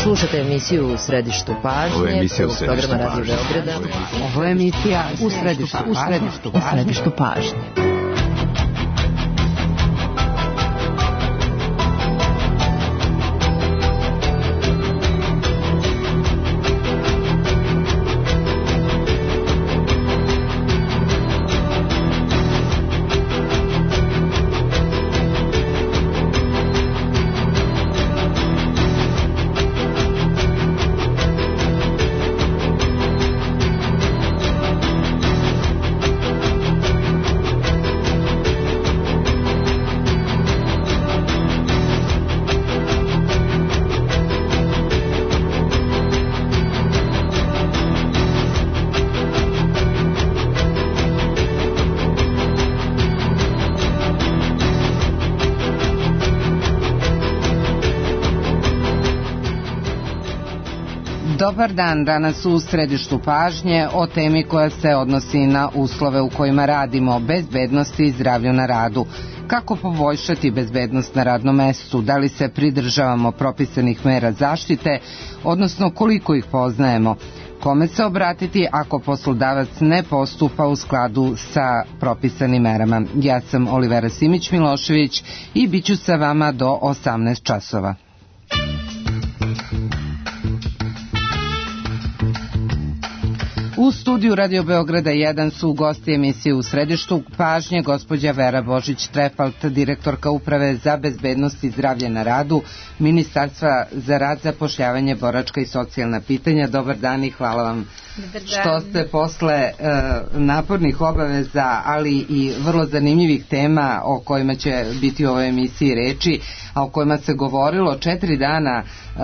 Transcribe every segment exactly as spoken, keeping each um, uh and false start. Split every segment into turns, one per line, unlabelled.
Slušate emisiju U središtu pažnje.
Ovo je emisija U središtu
programa Radio Beograda.
Ovo je emisija U središtu, u središtu, u središtu pažnje. Dobar dan, danas u središtu pažnje o temi koja se odnosi na uslove u kojima radimo, bezbednosti i zdravlju na radu. Kako poboljšati bezbednost na radnom mestu, da li se pridržavamo propisanih mera zaštite, odnosno koliko ih poznajemo, kome se obratiti ako poslodavac ne postupa u skladu sa propisanim merama. Ja sam Olivera Simić-Milošević i bit ću sa vama do osamnaest časova. U studiju Radio Beograda jedan su gosti emisije U središtu pažnje gospođa Vera Božić-Trefalt, direktorka Uprave za bezbednost i zdravlje na radu, Ministarstva za rad, zapošljavanje, boračka i socijalna pitanja. Dobar dan i hvala vam što ste posle e, napornih obaveza, ali i vrlo zanimljivih tema o kojima će biti u ovoj emisiji reči, a o kojima se govorilo četiri dana e,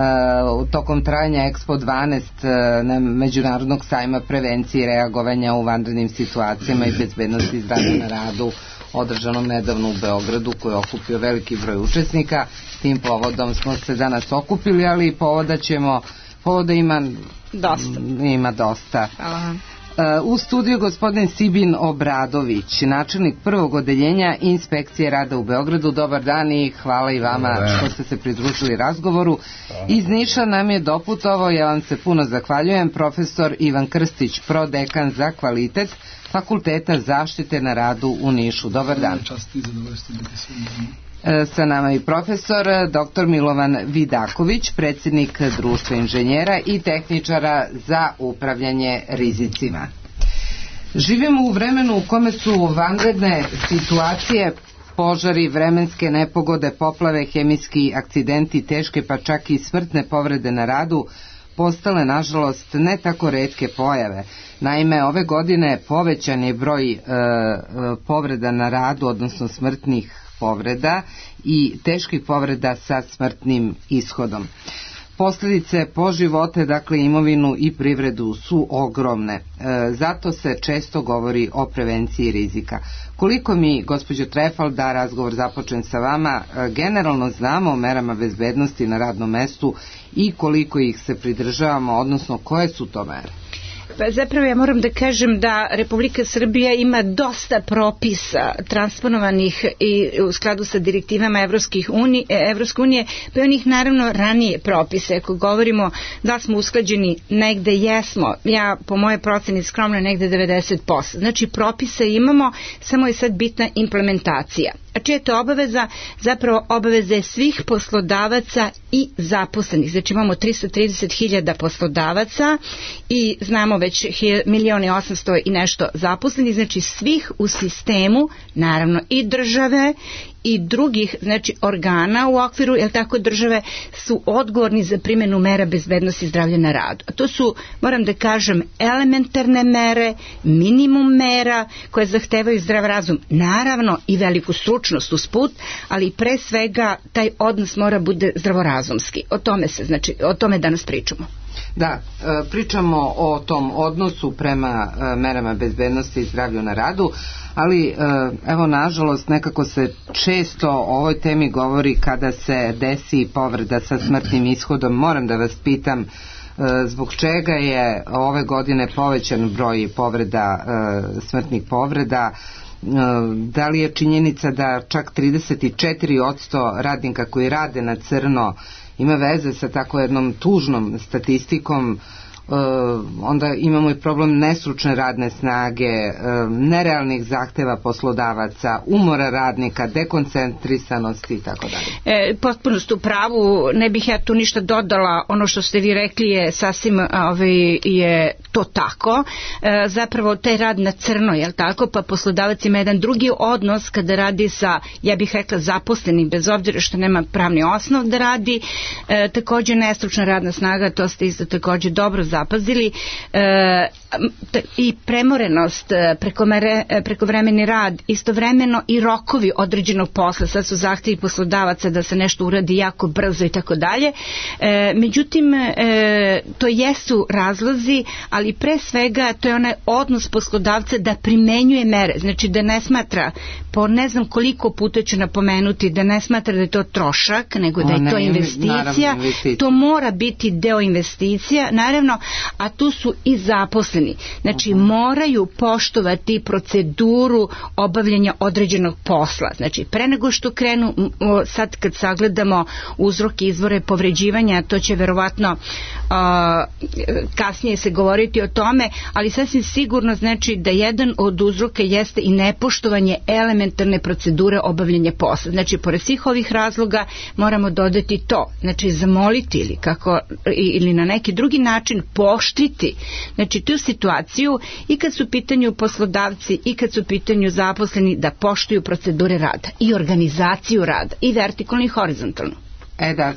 tokom trajanja Expo dvanaest e, na Međunarodnog sajma prevencije i reagovanja u vanrednim situacijama i bezbednosti i zdravlja na radu, održanom nedavno u Beogradu, koji je okupio veliki broj učesnika. Tim povodom smo se danas okupili, ali povoda ćemo, povoda ima dosta. Ima dosta. Aha. U studiju gospodin Sibin Obradović, načelnik prvog odeljenja Inspekcije rada u Beogradu. Dobar dan i hvala i vama što ste se pridružili razgovoru. Iz Niša nam je doputovao, ja vam se puno zahvaljujem, profesor Ivan Krstić, prodekan za kvalitet Fakulteta zaštite na radu u Nišu. Dobar dan. Sa nama i profesor doktor Milovan Vidaković, predsjednik Društva inženjera i tehničara za upravljanje rizicima. Živimo u vremenu u kome su vanredne situacije, požari, vremenske nepogode, poplave, hemijski akcidenti, teške pa čak i smrtne povrede na radu postale, nažalost, ne tako retke pojave. Naime, ove godine povećan je broj e, povreda na radu, odnosno smrtnih povreda i teških povreda sa smrtnim ishodom. Posljedice po živote, dakle imovinu i privredu, su ogromne. E, zato se često govori o prevenciji rizika. Koliko mi, gospođo Trefalt, da razgovor započnem sa vama, e, generalno znamo o merama bezbednosti na radnom mestu i koliko ih se pridržavamo, odnosno koje su to mere? Pa zapravo ja moram da kažem da Republika Srbija ima dosta propisa transponovanih i u skladu sa direktivama Evropskih unije, Evropske unije, pa i onih naravno ranije propise. Ako govorimo da smo usklađeni, negde jesmo, ja po moje proceni skromno negde devedeset posto. Znači propise imamo, samo je sad bitna implementacija. A čija je to obaveza? Zapravo obaveza je svih poslodavaca i zaposlenih. Znači imamo tristo trideset hiljada poslodavaca i znamo već milion i osamsto i nešto zaposlenih, znači svih u sistemu, naravno i države i drugih, znači organa u okviru, jel tako, države su odgovorni za primjenu mera bezbednosti i zdravlja na radu. A to su, moram da kažem, elementarne mere, minimum mera koje zahtevaju zdrav razum, naravno i veliku stručnost usput, ali pre svega taj odnos mora bude zdravorazumski. O tome se, znači, o tome danas pričamo.
Da, pričamo o tom odnosu prema merama bezbednosti i zdravlju na radu, ali evo, nažalost, nekako se često o ovoj temi govori kada se desi povreda sa smrtnim ishodom. Moram da vas pitam, zbog čega je ove godine povećan broj povreda, smrtnih povreda? Da li je činjenica da čak trideset četiri posto radnika koji rade na crno ima veze sa tako jednom tužnom statistikom, Uh, onda imamo i problem nestručne radne snage, uh, nerealnih zahteva poslodavaca, umora radnika, dekoncentrisanosti i tako dalje.
E, potpuno ste u pravu, ne bih ja tu ništa dodala, ono što ste vi rekli je sasvim ovaj, je to tako, e, zapravo taj rad na crno, jel tako, pa poslodavac ima jedan drugi odnos kada radi sa, ja bih rekla, zaposlenim, bez obzira što nema pravni osnov da radi, e, također nestručna radna snaga, to ste isto također dobro zapazili, e, i premorenost, prekomere, prekovremeni rad, istovremeno i rokovi određenog posla, sad su zahtjevi poslodavaca da se nešto uradi jako brzo i tako dalje. Međutim, e, to jesu razlozi, ali pre svega to je onaj odnos poslodavca da primenjuje mere, znači da ne smatra, po ne znam koliko puta ću napomenuti, da ne smatra da je to trošak, nego da je to investicija, to mora biti deo investicija, naravno, a tu su i zaposleni. Znači, moraju poštovati proceduru obavljanja određenog posla. Znači, pre nego što krenu, sad kad sagledamo uzroke, izvore povređivanja, to će verovatno uh, kasnije se govoriti o tome, ali sasvim sigurno znači da jedan od uzroka jeste i nepoštovanje elementarne procedure obavljanja posla. Znači, pored svih ovih razloga moramo dodati to. Znači, zamoliti ili, kako, ili na neki drugi način poštriti. Znači, tu situaciju i kad su u pitanju poslodavci i kad su u pitanju zaposleni da poštuju procedure rada i organizaciju rada i vertikalno i horizontalno.
E da,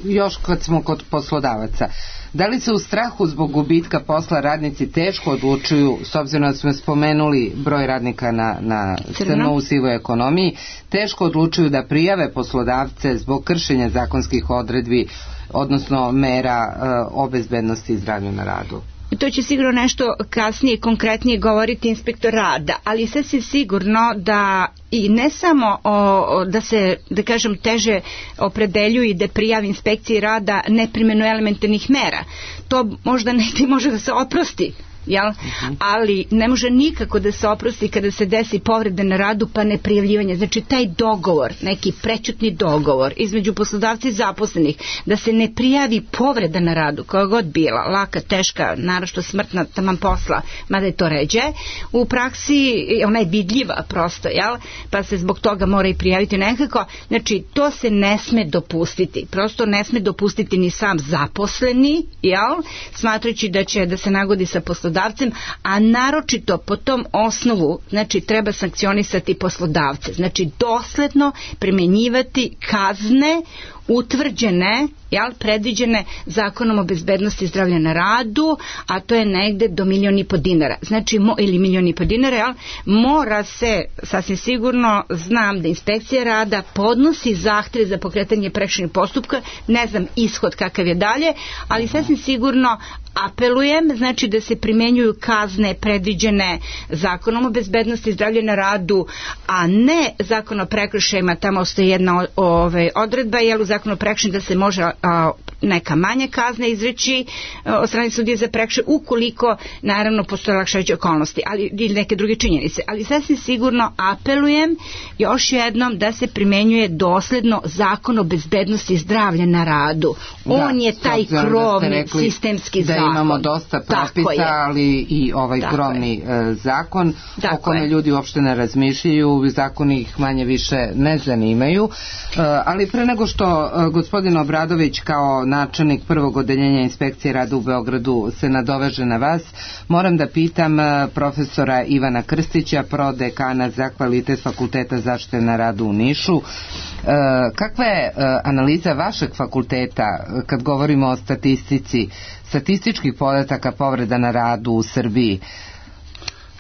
još kad smo kod poslodavaca, da li se u strahu zbog gubitka posla radnici teško odlučuju, s obzirom da smo spomenuli broj radnika na, na crno u sivoj ekonomiji, teško odlučuju da prijave poslodavce zbog kršenja zakonskih odredbi, odnosno mera uh, o bezbednosti i zdravlju na radu?
To će sigurno nešto kasnije konkretnije govoriti inspektor rada, ali sasvim sigurno da i ne samo o, da se, da kažem, teže opredeljuju i da prijavi inspekciji rada neprimjenu elementarnih mera. To možda negdje može da se oprosti, jel? Uh-huh. Ali ne može nikako da se oprosti kada se desi povreda na radu pa ne prijavljivanje. Znači taj dogovor, neki prećutni dogovor između poslodavca i zaposlenih da se ne prijavi povreda na radu koja god bila, laka, teška, naročito smrtna, taman posla, mada je to ređe, u praksi ona je vidljiva prosto, jel? Pa se zbog toga mora i prijaviti nekako. Znači to se ne sme dopustiti. Prosto ne sme dopustiti ni sam zaposleni, jel? Smatrajući da će da se nagodi sa poslodavcem, a naročito po tom osnovu, znači treba sankcionisati poslodavce, znači dosledno primjenjivati kazne utvrđene, jel, predviđene Zakonom o bezbednosti i zdravlja na radu, a to je negde do milion i po dinara. Znači, mo, ili milion i po dinara, jel, mora se, sasvim sigurno, znam da inspekcija rada podnosi zahtjeve za pokretanje prekršajnog postupka, ne znam ishod kakav je dalje, ali sasvim sigurno apelujem, znači da se primjenjuju kazne predviđene Zakonom o bezbednosti i zdravlja na radu, a ne Zakon o prekršajima, tamo ostaje jedna ove, odredba, jel, u Zakonu o prekršajima da se može a, neka manja kazna izreći a, od strane sudije za prekršaj, ukoliko naravno postoje olakšavajuće okolnosti, ali ili neke druge činjenice. Ali sasvim sigurno apelujem još jednom da se primjenjuje dosledno Zakon o bezbednosti i zdravlja na radu. On da, je taj krovni sistemski zakon.
Da imamo dosta propisa, ali i ovaj tako krovni je. zakon tako o kome je. ljudi uopšte ne razmišljaju, zakoni ih manje više ne zanimaju. Ali pre nego što gospodin Obradović kao načelnik prvog odeljenja inspekcije rada u Beogradu se nadoveže na vas, moram da pitam profesora Ivana Krstića, prodekana za kvalitet Fakulteta zaštite na radu u Nišu. Kakva je analiza vašeg fakulteta kad govorimo o statistici, statističkih podataka povreda na radu u Srbiji?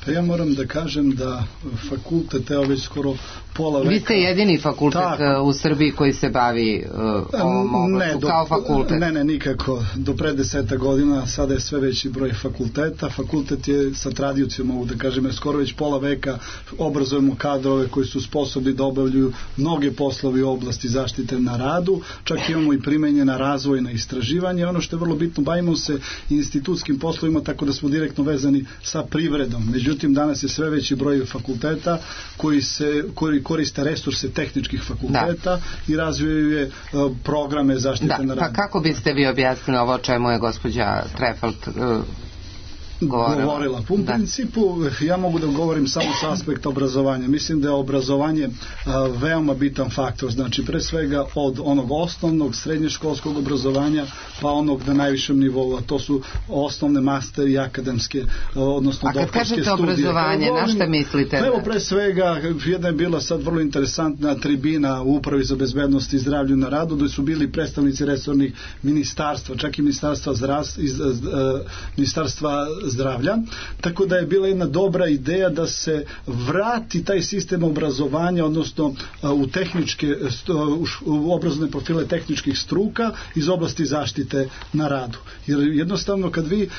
Pa ja moram da kažem da fakultet, evo već skoro pola veka...
Vi ste jedini fakultet tako u Srbiji koji se bavi uh, ovom oblastu, kao fakultet?
Ne, ne, nikako. Do pre deseta godina, sada je sve veći broj fakulteta. Fakultet je sa tradicijom, mogu da kažem, jer skoro već pola veka obrazujemo kadrove koji su sposobni da obavljuju mnoge poslovi u oblasti zaštite na radu. Čak imamo i primenjena razvojna istraživanja. Ono što je vrlo bitno, bavimo se institutskim poslovima, tako da smo direktno vezani sa privredom. Međutim, Međutim, danas je sve veći broj fakulteta koji, se, koji koriste resurse tehničkih fakulteta da. I razvijaju je uh, programe zaštite
da.
na radu.
Pa kako biste vi objasnili ovo čemu je gospođa Trefalt uh, govorila?
govorila. U da. principu ja mogu da govorim samo s aspekta obrazovanja. Mislim da je obrazovanje a, veoma bitan faktor. Znači pre svega od onog osnovnog srednješkolskog obrazovanja pa onog na najvišem nivou, a to su osnovne master i akademske, odnosno doktorske studije.
A kad kažete obrazovanje, govorim, na šta mislite?
Evo pre svega, jedna je bila sad vrlo interesantna tribina u Upravi za bezbednost i zdravlje na radu, gde su bili predstavnici resornih ministarstva, čak i ministarstva zdravstva, iz, iz, ministarstva zdravlja, tako da je bila jedna dobra ideja da se vrati taj sistem obrazovanja, odnosno u tehničke, u obrazovne profile tehničkih struka iz oblasti zaštite na radu. Jer jednostavno kad vi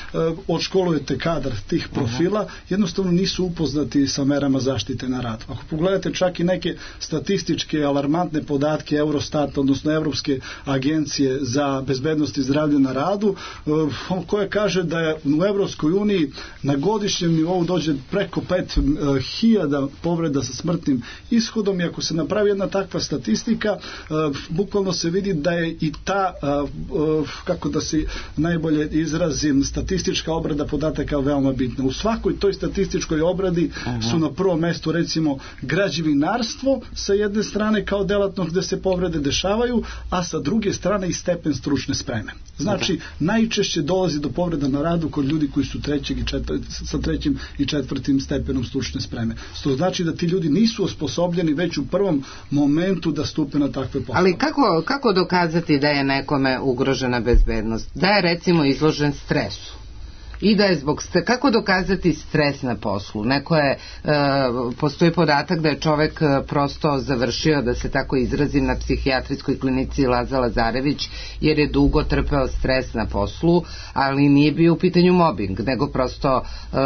odškolujete kadar tih profila, jednostavno nisu upoznati sa merama zaštite na radu. Ako pogledate čak i neke statističke alarmantne podatke Eurostata, odnosno Evropske agencije za bezbednost i zdravlje na radu, koja kaže da je u Evropskoj uniji na godišnjem nivou dođe preko pet hiljada povreda sa smrtnim ishodom i ako se napravi jedna takva statistika, bukvalno se vidi da je i ta, kako da se najbolje izrazim, statistička obrada podataka veoma bitna. U svakoj toj statističkoj obradi Aha. su na prvom mestu recimo građevinarstvo sa jedne strane kao delatnost gde se povrede dešavaju, a sa druge strane i stepen stručne spreme. Znači, Aha. najčešće dolazi do povreda na radu kod ljudi koji su trećeg i četvr, sa trećim i četvrtim stepenom stručne spreme. To znači da ti ljudi nisu osposobljeni već u prvom momentu da stupe na takve poslove.
Ali kako, kako dokazati da je nekome ugrožena bezbednost? Da je recimo izložen stresu? I da je zbog, kako dokazati stres na poslu? Neko je, e, postoji podatak da je čovek prosto završio, da se tako izrazim, na psihijatrijskoj klinici Laza Lazarević, jer je dugo trpeo stres na poslu, ali nije bio u pitanju mobing, nego prosto e,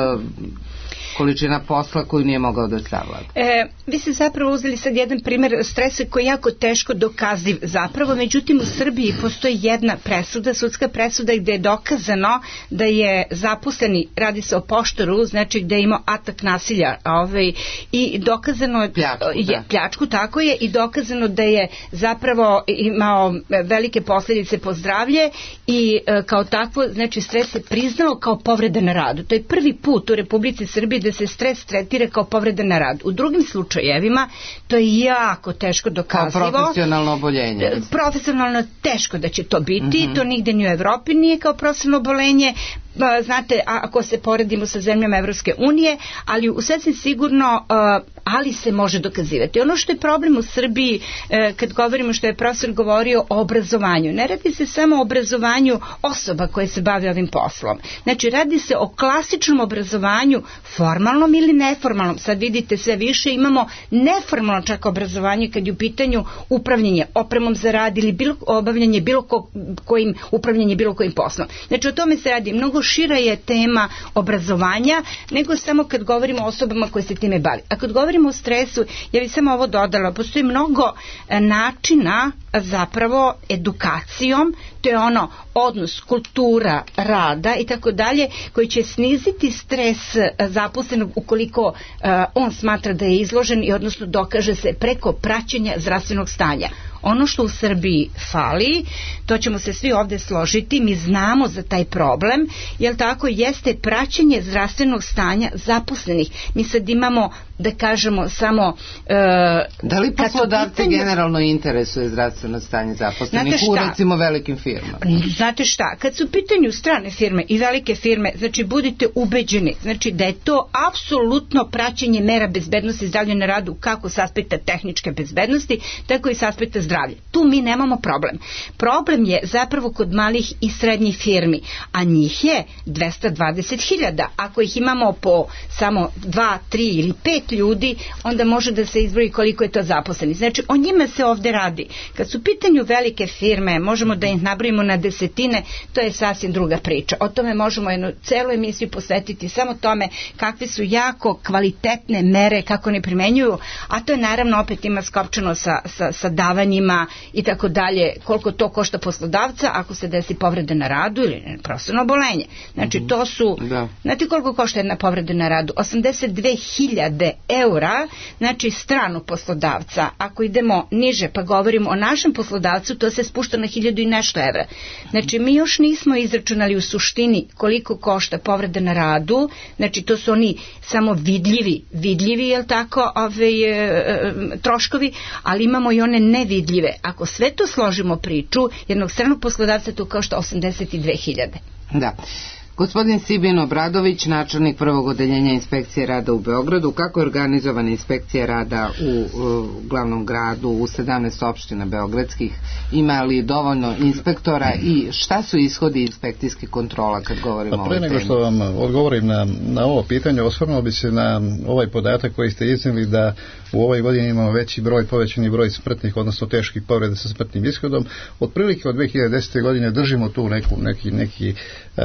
količina posla koju nije mogao da savlada.
E, vi ste zapravo uzeli sad jedan primjer stresa koji je jako teško dokaziv zapravo, međutim u Srbiji postoji jedna presuda, sudska presuda gde je dokazano da je zaposleni, radi se o poštaru, znači gde je imao atak nasilja ovaj, i dokazano je
pljačku,
je, pljačku, tako je, i dokazano da je zapravo imao velike posljedice po zdravlje i e, kao takvo, znači stres se priznao kao povreda na radu. To je prvi put u Republici Srbiji da se stres tretira kao povreda na radu. U drugim slučajevima to je jako teško dokazivo.
Kao profesionalno oboljenje.
Profesionalno teško da će to biti, mm-hmm. to nigde ni u Evropi nije kao profesionalno oboljenje. Znate, ako se poredimo sa zemljama Evropske unije, ali u sasvim sigurno, ali se može dokazivati. Ono što je problem u Srbiji, kad govorimo, što je profesor govorio o obrazovanju, ne radi se samo o obrazovanju osoba koje se bave ovim poslom. Znači, radi se o klasičnom obrazovanju, formalnom ili neformalnom. Sad vidite, sve više imamo neformalno čak obrazovanje kad je u pitanju upravljanje opremom za rad ili bilo, obavljanje bilo ko, kojim, upravljanje bilo kojim poslom. Znači, o tome se radi. Mnogo šira je tema obrazovanja nego samo kad govorimo o osobama koje se time bavi. A kad govorimo o stresu, ja bih samo ovo dodala, postoji mnogo načina zapravo edukacijom, to je ono odnos, kultura, rada i tako dalje, koji će sniziti stres zaposlenog ukoliko uh, on smatra da je izložen i odnosno dokaže se preko praćenja zdravstvenog stanja. Ono što u Srbiji fali, to ćemo se svi ovde složiti, mi znamo za taj problem, jer tako jeste praćenje zdravstvenog stanja zaposlenih. Mi sad imamo, da kažemo, samo... Uh,
da li poslodavci pitanju... generalno interesuje zdravstveno stanje zaposlenih u recimo velikim firmama?
Znate šta, kad su u pitanju strane firme i velike firme, znači budite ubeđeni, znači da je to apsolutno praćenje mera bezbednosti i zdravlja na radu, kako s aspekta tehničke bezbednosti, tako i s aspekta zdravlja. Tu mi nemamo problem. Problem je zapravo kod malih i srednjih firmi, a njih je dvesta dvadeset hiljada. Ako ih imamo po samo dva, tri ili pet pet ljudi, onda može da se izbroji koliko je to zaposleni. Znači, o njima se ovde radi. Kad su u pitanju velike firme, možemo da ih nabrojimo na desetine, to je sasvim druga priča. O tome možemo jednu celu emisiju posvetiti samo tome kakve su jako kvalitetne mere, kako ne primenjuju, a to je naravno opet ima skopčano sa, sa, sa davanjima i tako dalje, koliko to košta poslodavca ako se desi povreda na radu ili profesionalno obolenje. Znači, to su, da. Znate koliko košta jedna povreda na radu? osamdeset dve hiljade eura, znači stranu poslodavca. Ako idemo niže pa govorimo o našem poslodavcu, to se spušta na hiljadu i nešto evra. Znači, mi još nismo izračunali u suštini koliko košta povreda na radu, znači to su oni samo vidljivi, vidljivi, jel tako, ove, e, troškovi, ali imamo i one nevidljive. Ako sve to složimo priču, jednog stranog poslodavca to košta osamdeset dve hiljade.
Da. Gospodin Sibin Obradović, načelnik prvog odeljenja inspekcije rada u Beogradu, kako je organizovana inspekcija rada u, u glavnom gradu, u sedamnaest opština beogradskih, ima li dovoljno inspektora i šta su ishodi inspekcijskih kontrola kad govorimo o ovoj temi?
Pre nego što vam odgovorim na, na ovo pitanje, osvrnuo bi se na ovaj podatak koji ste iznijeli da u ovoj godini imamo veći broj, povećani broj smrtnih, odnosno teških povreda sa smrtnim ishodom. Otprilike od dve hiljade desete. godine držimo tu neku, neki, neki e,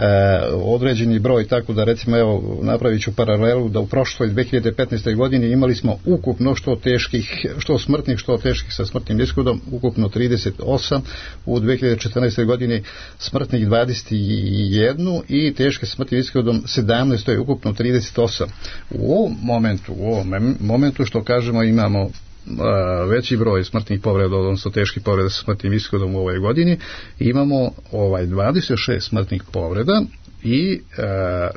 određeni broj, tako da recimo evo napravit ću paralelu da u prošloj dve hiljade petnaestoj. godini imali smo ukupno što teških, što smrtnih, što teških sa smrtnim ishodom, ukupno trideset osam, u dve hiljade četrnaestoj. godini smrtnih dvadeset jedan i teške sa smrtnim ishodom sedamnaest, to je ukupno trideset osam. U ovom momentu, u ovom momentu što kažemo imamo veći broj smrtnih povreda, odnosno teških povreda sa smrtnim ishodom u ovoj godini, imamo ovaj dvadeset šest smrtnih povreda i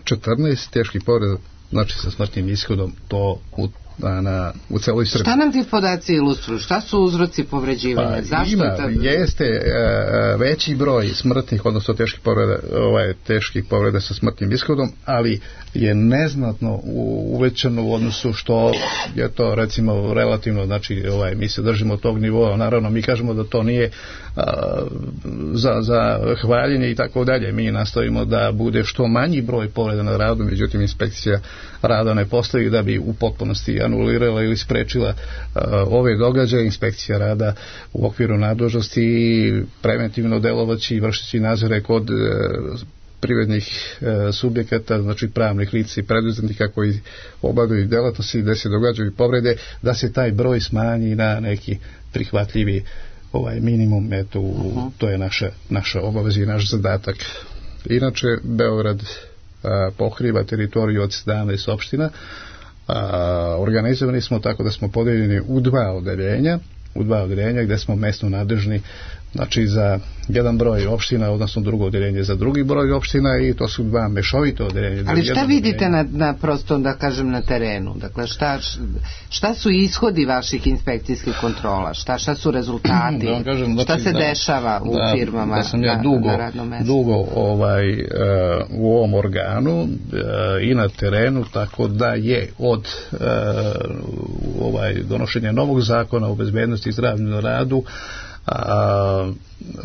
četrnaest teških povreda, znači sa smrtnim ishodom, to u Na, u celoj Srbiji.
Šta nam ti podaci ilustruju? Šta su uzroci povređivanja?
Pa,
Zašto
ima,
je ta...
jeste e, veći broj smrtnih, odnosno teških povreda, ovaj, teških povreda sa smrtnim ishodom, ali je neznatno uvećano u odnosu što je to recimo relativno, znači ovaj, mi se držimo tog nivoa, naravno mi kažemo da to nije a, za, za hvaljenje i tako dalje, mi nastavimo da bude što manji broj povreda na radu, međutim inspekcija rada ne postoji da bi u potpunosti anulirala ili sprečila uh, ove događaje. Inspekcija rada u okviru nadležnosti preventivno delovaći i vršeći nadzore kod uh, privrednih uh, subjekata, znači pravnih lica i preduzetnika koji obavljaju delatnosti gde se događaju povrede, da se taj broj smanji na neki prihvatljivi ovaj minimum, eto, uh-huh. To je naša, naša obaveza i naš zadatak. Inače, Beograd uh, pokriva teritoriju od sedamnaest opština. A, organizovani smo tako da smo podeljeni u dva odeljenja, u dva odeljenja gde smo mesno nadležni, znači za jedan broj opština, odnosno drugo odeljenje za drugi broj opština i to su dva mešovito odeljenja.
Ali šta vidite na, na prosto da kažem na terenu? Dakle, šta, šta su ishodi vaših inspekcijskih kontrola? Šta, šta su rezultati?
Da kažem,
šta se
da,
dešava u
da,
firmama
da sam ja
na,
dugo,
na radnom mestu?
dugo ovaj, uh, u ovom organu uh, i na terenu, tako da je od uh, ovaj, donošenja novog zakona o bezbednosti i zdravlju na radu, a,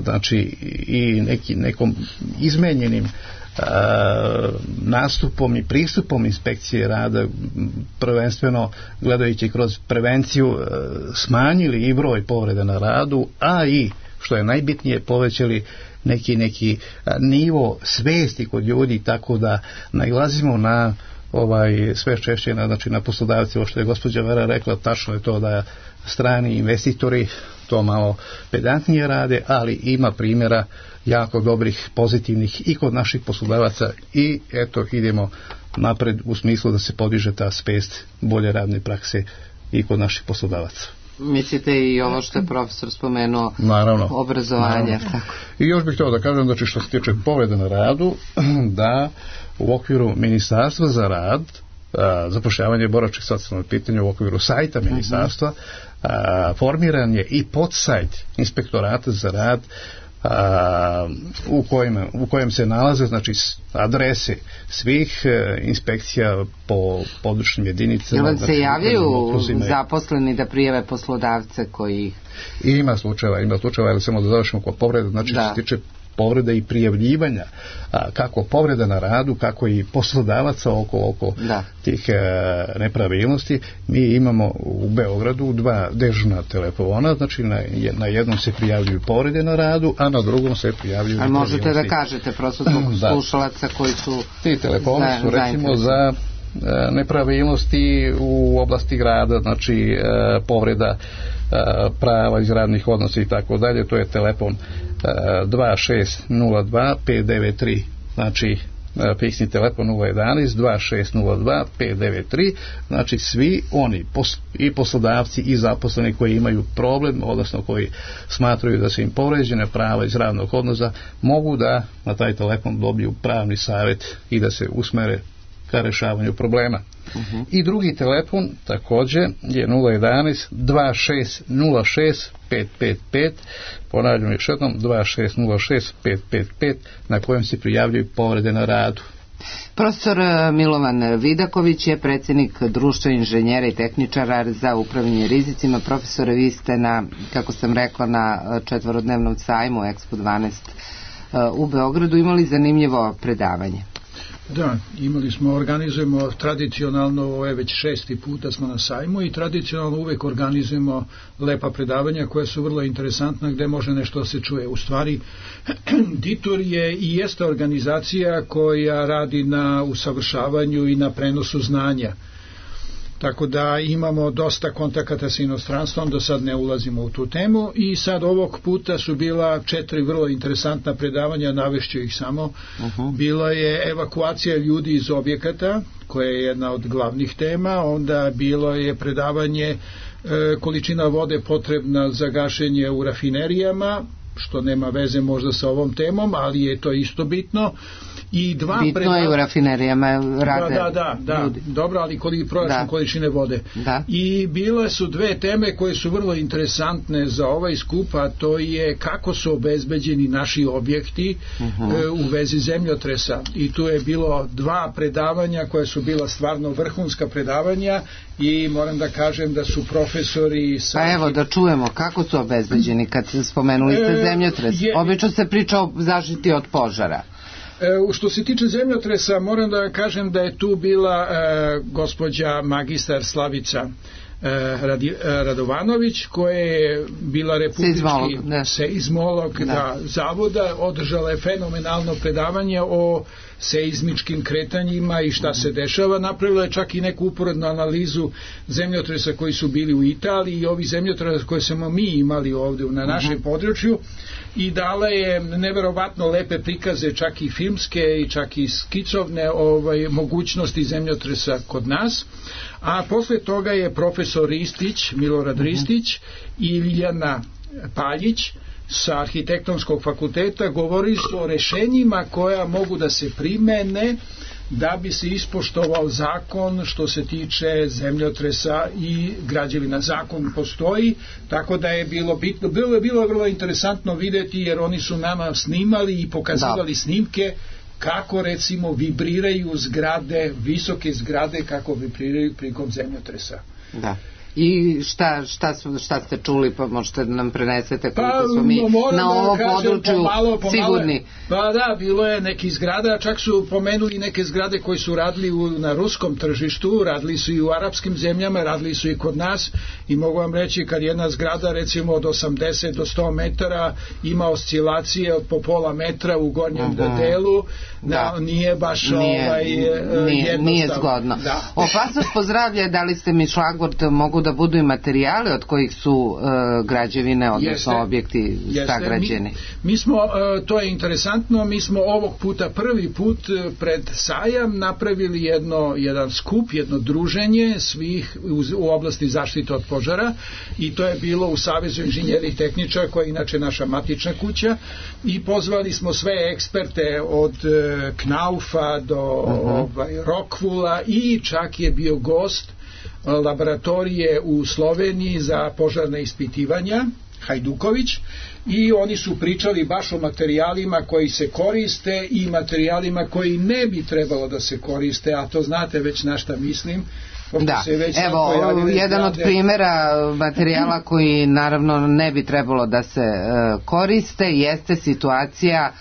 znači i neki, nekom izmenjenim a, nastupom i pristupom inspekcije rada, prvenstveno gledajući kroz prevenciju, a, smanjili i broj povreda na radu, a i što je najbitnije povećali neki, neki a, nivo svesti kod ljudi, tako da nailazimo na ovaj sve češće na, znači na poslodavci, ovo što je gospođa Vera rekla, tačno je to da strani investitori to malo pedantnije rade, ali ima primjera jako dobrih, pozitivnih i kod naših poslodavaca i eto idemo napred u smislu da se podiže ta svest bolje radne prakse i kod naših poslodavaca.
Mislite i ovo što je profesor spomenuo,
naravno,
obrazovanje.
naravno. Tako. I još bih htio da kažem, znači što se tiče povreda na radu, da u okviru Ministarstva za rad, zapošljavanje i boračkih socijalnih pitanja, u okviru sajta ministarstva, a, formiran je i podsajt Inspektorata za rad, a, u, kojem, u kojem se nalaze znači adrese svih e, inspekcija po područnim jedinicama.
Jel vam
znači,
se javljaju zaposleni da prijave poslodavce koji ih...
Ima slučajeva, ima slučajeva, ali samo da završimo kod povreda, znači da. Što se tiče povrede i prijavljivanja a, kako povreda na radu, kako i poslodavaca oko, oko tih a, nepravilnosti. Mi imamo u Beogradu dva dežurna telefona, znači na, na jednom se prijavljuju povrede na radu, a na drugom se prijavljuju
a možete da kažete prosto zbog slušalaca koji su
ti telefoni su recimo za nepravilnosti u oblasti grada, znači povreda prava iz radnih odnosa i tako dalje. To je telefon dva šest nula dva pet devet tri, znači fiksni telefon nula jedanaest dva šest nula dva pet devet tri. Znači svi oni i poslodavci i zaposleni koji imaju problem, odnosno koji smatraju da su im povređene prava iz radnog odnosa, mogu da na taj telefon dobiju pravni savjet i da se usmere ka rešavanju problema. Uh-huh. I drugi telefon također je nula jedanaest dva šest nula šest pet pet pet, ponavljam još jednom dva šest nula šest pet pet pet, na kojem se prijavljuju povrede na radu.
Profesor Milovan Vidaković je predsjednik Društva inženjera i tehničara za upravljanje rizicima. Profesore, vi ste na, kako sam rekla, na četvorodnevnom sajmu Expo dvanaest u Beogradu imali zanimljivo predavanje.
Da, imali smo, organizujemo tradicionalno, ovo je već šesti puta smo na sajmu i tradicionalno uvek organizujemo lepa predavanja koja su vrlo interesantna, gde može nešto se čuje. U stvari, Ditur je i jeste organizacija koja radi na usavršavanju i na prenosu znanja. Tako da imamo dosta kontakata sa inostranstvom, do sad ne ulazimo u tu temu i sad ovog puta su bila četiri vrlo interesantna predavanja, navešću ih samo. Uh-huh. Bila je evakuacija ljudi iz objekata, koja je jedna od glavnih tema, onda bilo je predavanje e, količina vode potrebna za gašenje u rafinerijama, što nema veze možda sa ovom temom, ali je to isto bitno. I dva
bitno predav... je u rafinerijama rade
da, da, da, ljudi. Dobro, ali koliko proračun količine vode.
Da.
I bile su dve teme koje su vrlo interesantne za ovaj skup, a to je kako su obezbeđeni naši objekti uh-huh. e, u vezi zemljotresa. I tu je bilo dva predavanja koja su bila stvarno vrhunska predavanja i moram da kažem da su profesori sa...
Pa evo da čujemo kako su obezbeđeni kad spomenuli ste zemljotres. Je... Obično se priča o zaštiti od požara.
E, što se tiče zemljotresa, moram da kažem da je tu bila e, gospođa magistar Slavica e, Radi, e, Radovanović, koja je bila republički seizmolog, seizmolog da. Da, zavoda, održala je fenomenalno predavanje o seizmičkim kretanjima i šta se dešava. Napravila je čak i neku uporednu analizu zemljotresa koji su bili u Italiji i ovi zemljotresa koje smo mi imali ovdje na našem uh-huh. području i dala je neverovatno lepe prikaze, čak i filmske i čak i skicovne ovaj, mogućnosti zemljotresa kod nas. A posle toga je profesor Ristić, Milorad uh-huh. Ristić i Ilijana Paljić sa Arhitektonskog fakulteta govorili su o rešenjima koja mogu da se primene da bi se ispoštovao zakon što se tiče zemljotresa i građevina. Zakon postoji, tako da je bilo bitno, bilo je bilo vrlo interesantno videti jer oni su nama snimali i pokazivali da. snimke kako recimo vibriraju zgrade, visoke zgrade kako vibriraju prilikom zemljotresa. Da.
I šta, šta, šta ste čuli, pa možete da nam prenesete koliko pa, smo mi na ovom području pomalo, pomalo, sigurni.
Pa da, bilo je neki zgrada, čak su pomenuli neke zgrade koji su radili u, na ruskom tržištu, radili su i u arapskim zemljama, radili su i kod nas i mogu vam reći kad jedna zgrada recimo od osamdeset do sto metara ima oscilacije od po pola metra u gornjem uh-huh. delu, da, da nije baš nije, ovaj,
nije, nije zgodno. Da. Opasnost po zdravlje, dali ste mi šlagvort, mogu da budu i materijali od kojih su uh, građevine, odnosno jeste, objekti sagrađeni.
Mi, mi smo, uh, to je interesantno, mi smo ovog puta prvi put pred sajam napravili jedno, jedan skup, jedno druženje svih u, u oblasti zaštite od požara i to je bilo u Savezu inženjera i tehničara koja je inače naša matična kuća i pozvali smo sve eksperte od uh, Knaufa do uh-huh. ovaj, Rockvoola i čak je bio gost laboratorije u Sloveniji za požarne ispitivanja Hajduković i oni su pričali baš o materijalima koji se koriste i materijalima koji ne bi trebalo da se koriste, a to znate već na šta mislim.
Da, evo, jedan od primjera materijala koji naravno ne bi trebalo da se uh, koriste jeste situacija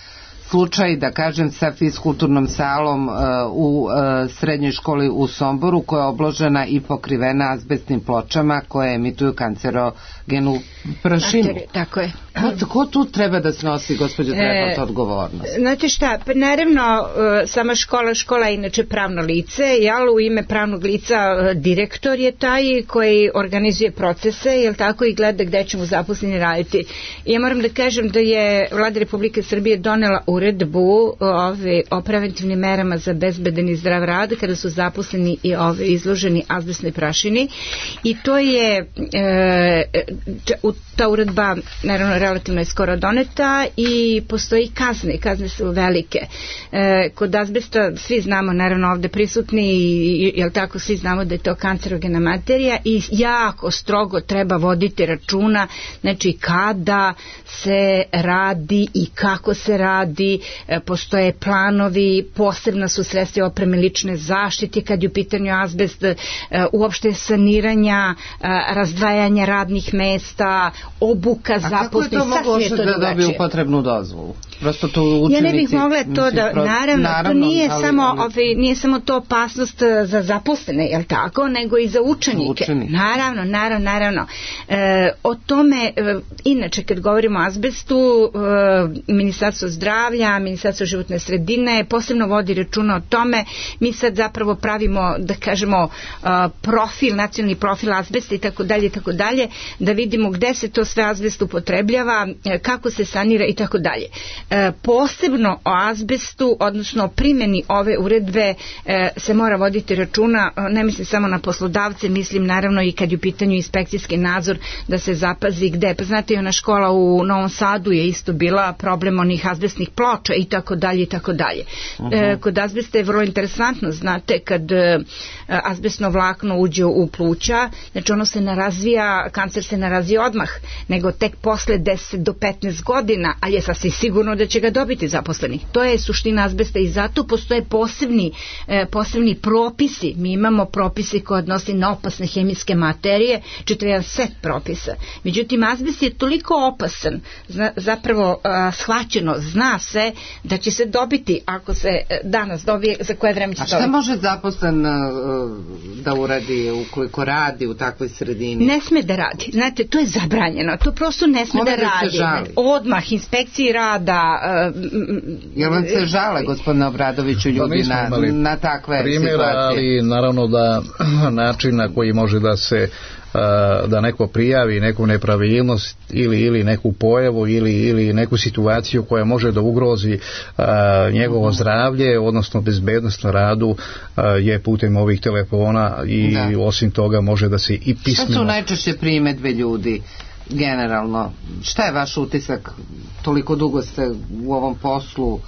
slučaj, da kažem, sa fiskulturnom salom uh, u uh, srednjoj školi u Somboru, koja je obložena i pokrivena azbestnim pločama koje emituju kancerogenu prašinu.
Tako je.
Ko, ko tu treba da snosi, gospođo Trepalt, odgovornost?
Znate šta, pa naravno uh, sama škola, škola je inače pravno lice, jel, u ime pravnog lica uh, direktor je taj koji organizuje procese, jel tako, i gleda gde ćemo zaposleni raditi. I ja moram da kažem da je Vlada Republike Srbije donela uredbu ove, o preventivnim merama za bezbedan i zdrav rad kada su zaposleni i ove izloženi azbestnoj prašini, i to je e, ta uredba naravno relativno je skoro doneta i postoji kazne, kazne su velike. E, kod azbesta svi znamo, naravno ovde prisutni, i, jel tako, svi znamo da je to kancerogena materija i jako strogo treba voditi računa, znači kada se radi i kako se radi, e, postoje planovi, posebna su sredstva opreme lične zaštite kad je u pitanju azbest, e, uopšte saniranja, e, razdvajanja radnih mesta, obuka zaposlenih.
A kako je to moguće da dobiju potrebnu dozvolu? Prosto to učenici...
Ja ne bih mogla to mislim, da... Naravno, naravno, to nije, ali, samo, ali... Ovaj, nije samo to opasnost za zaposlene, jel tako, nego i za učenike. Učenik. Naravno, naravno, naravno. E, o tome, e, inače, kad govorimo o azbestu, e, Ministarstvo zdravlja, Ministarstvo životne sredine posebno vodi računa o tome. Mi sad zapravo pravimo, da kažemo, a, profil, nacionalni profil azbesta i tako dalje, i tako dalje, da vidimo gde se to sve azbest upotrebljava, kako se sanira i tako dalje. E, posebno o azbestu, odnosno o primjeni ove uredbe e, se mora voditi računa, ne mislim samo na poslodavce, mislim naravno i kad je u pitanju inspekcijski nadzor, da se zapazi gde. Pa znate, ona škola u Novom Sadu je isto bila problem onih azbestnih ploča i tako dalje i tako dalje. E, kod azbesta je vrlo interesantno, znate, kad e, azbestno vlakno uđe u pluća, znači ono se ne razvija, kancer se ne razvija odmah, nego tek posle deset do petnaest godina, ali je sasvim sigurno da će ga dobiti zaposleni. To je suština azbesta i zato postoje posebni, e, posebni propisi. Mi imamo propise koje odnosi na opasne hemijske materije, čitav jedan set propisa. Međutim, azbest je toliko opasan, zna, zapravo a, shvaćeno, zna se da će se dobiti, ako se danas dobije, za koje vreme će dobiti.
A šta može zaposlen uh, da uradi ukoliko radi u takvoj sredini?
Ne sme da radi. Znate, to je zabranjeno. To prosto ne sme
Kome
da radi. Odmah, inspekciji rada. Uh,
Jel vam se žale, gospodine Obradoviću, ljudi na, na takve
primjera,
situacije?
Ali naravno da način na koji može da se da neko prijavi neku nepravilnost ili, ili neku pojavu ili, ili neku situaciju koja može da ugrozi a, njegovo zdravlje, odnosno bezbednost na radu, a, je putem ovih telefona i da. Osim toga može da se i pismeno...
Šta su najčešće primedbe ljudi generalno? Šta je vaš utisak? Toliko dugo ste u ovom poslu.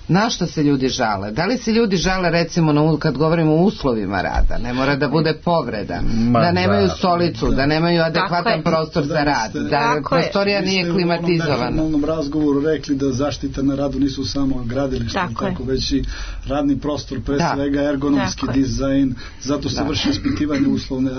Na što se ljudi žale? Da li se ljudi žale, recimo, na, kad govorimo o uslovima rada? Ne mora da bude povreda, Ma, da nemaju stolicu, da, da nemaju adekvatan prostor da, za rad, da, da prostorija nije klimatizovana.
Vi ste u onom razgovoru rekli da zaštita na radu nisu samo gradilište, tako, tako već i radni prostor, pre da. svega ergonomski tako dizajn, zato se da. vrši ispitivanje uslovne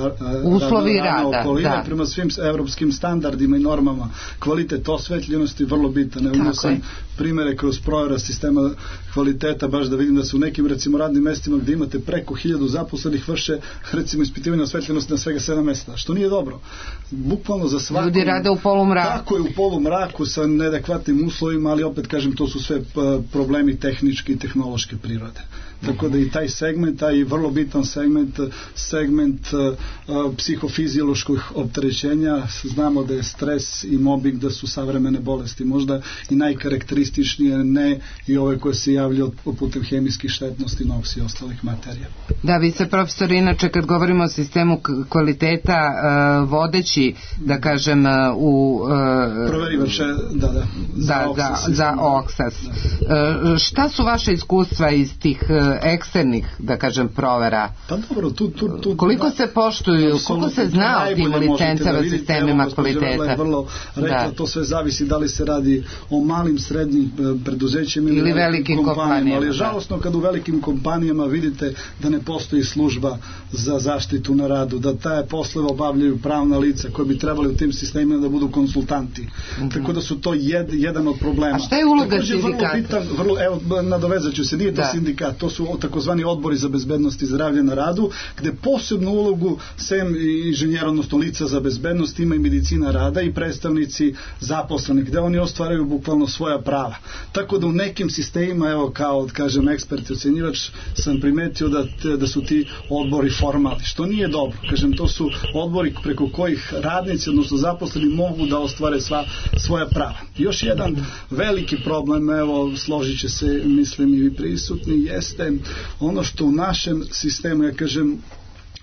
uslovi rada,
okoline,
da.
prema svim evropskim standardima i normama. Kvalitet osvetljenosti je vrlo bitan. Evo sam primere kroz provera sistema kvaliteta, baš da vidim da su u nekim, recimo, radnim mestima gdje imate preko hiljadu zaposlenih vrše, recimo, ispitivanje osvetljenosti na svega sedam mesta, što nije dobro. Bukvalno za svakom...
Ljudi rade u polumraku.
Tako je, u polumraku sa neadekvatnim uslovima, ali opet kažem, to su sve problemi tehničke i tehnološke prirode. Tako da i taj segment, taj vrlo bitan segment, segment uh, psihofizioloških opterećenja, znamo da je stres i mobbing, da su savremene bolesti možda i najkarakterističnije, ne i ove koje se javljaju putem hemijskih štetnosti, noksi i ostalih materija.
Da, vi se, profesor, inače kad govorimo o sistemu kvaliteta, uh, vodeći, da kažem, uh, u... Uh,
Proverivače, da, da.
Za, da, Oksas. Za, za Oksas. Da. Uh, šta su vaše iskustva iz tih uh, eksternih, da kažem, provera?
Pa dobro, tu... tu, tu
koliko se poštuju, koliko se zna o tim licencama, da sistemima evo, kvaliteta?
Je vrlo rekla, da. To sve zavisi da li se radi o malim, srednjim preduzećima ili,
ili velikim, velikim
kompanijama, ali je žalosno kad u velikim kompanijama vidite da ne postoji služba za zaštitu na radu, da taje poslove obavljaju pravna lica koji bi trebali u tim sistemima da budu konsultanti. Mm-hmm. Tako da su to jed, jedan od problema.
A šta je uloga sindikata?
Vrlo bitan, vrlo, evo, nadovezat ću se, nije to da. sindikat, to su takozvani odbori za bezbednost i zdravlje na radu, gde posebnu ulogu sem inženjera, odnosno lica za bezbednost, ima i medicina rada i predstavnici zaposlenih, gde oni ostvaraju bukvalno svoja prava. Tako da u nekim sistemima, evo kao, kažem, ekspert i ocenjivač, sam primetio da, te, da su ti odbori formalni, što nije dobro. Kažem, to su odbori preko kojih radnici, odnosno zaposleni, mogu da ostvare sva svoja prava. Još jedan veliki problem, evo, složit će se, mislim, i prisutni, jeste ono što u našem sistemu, ja kažem,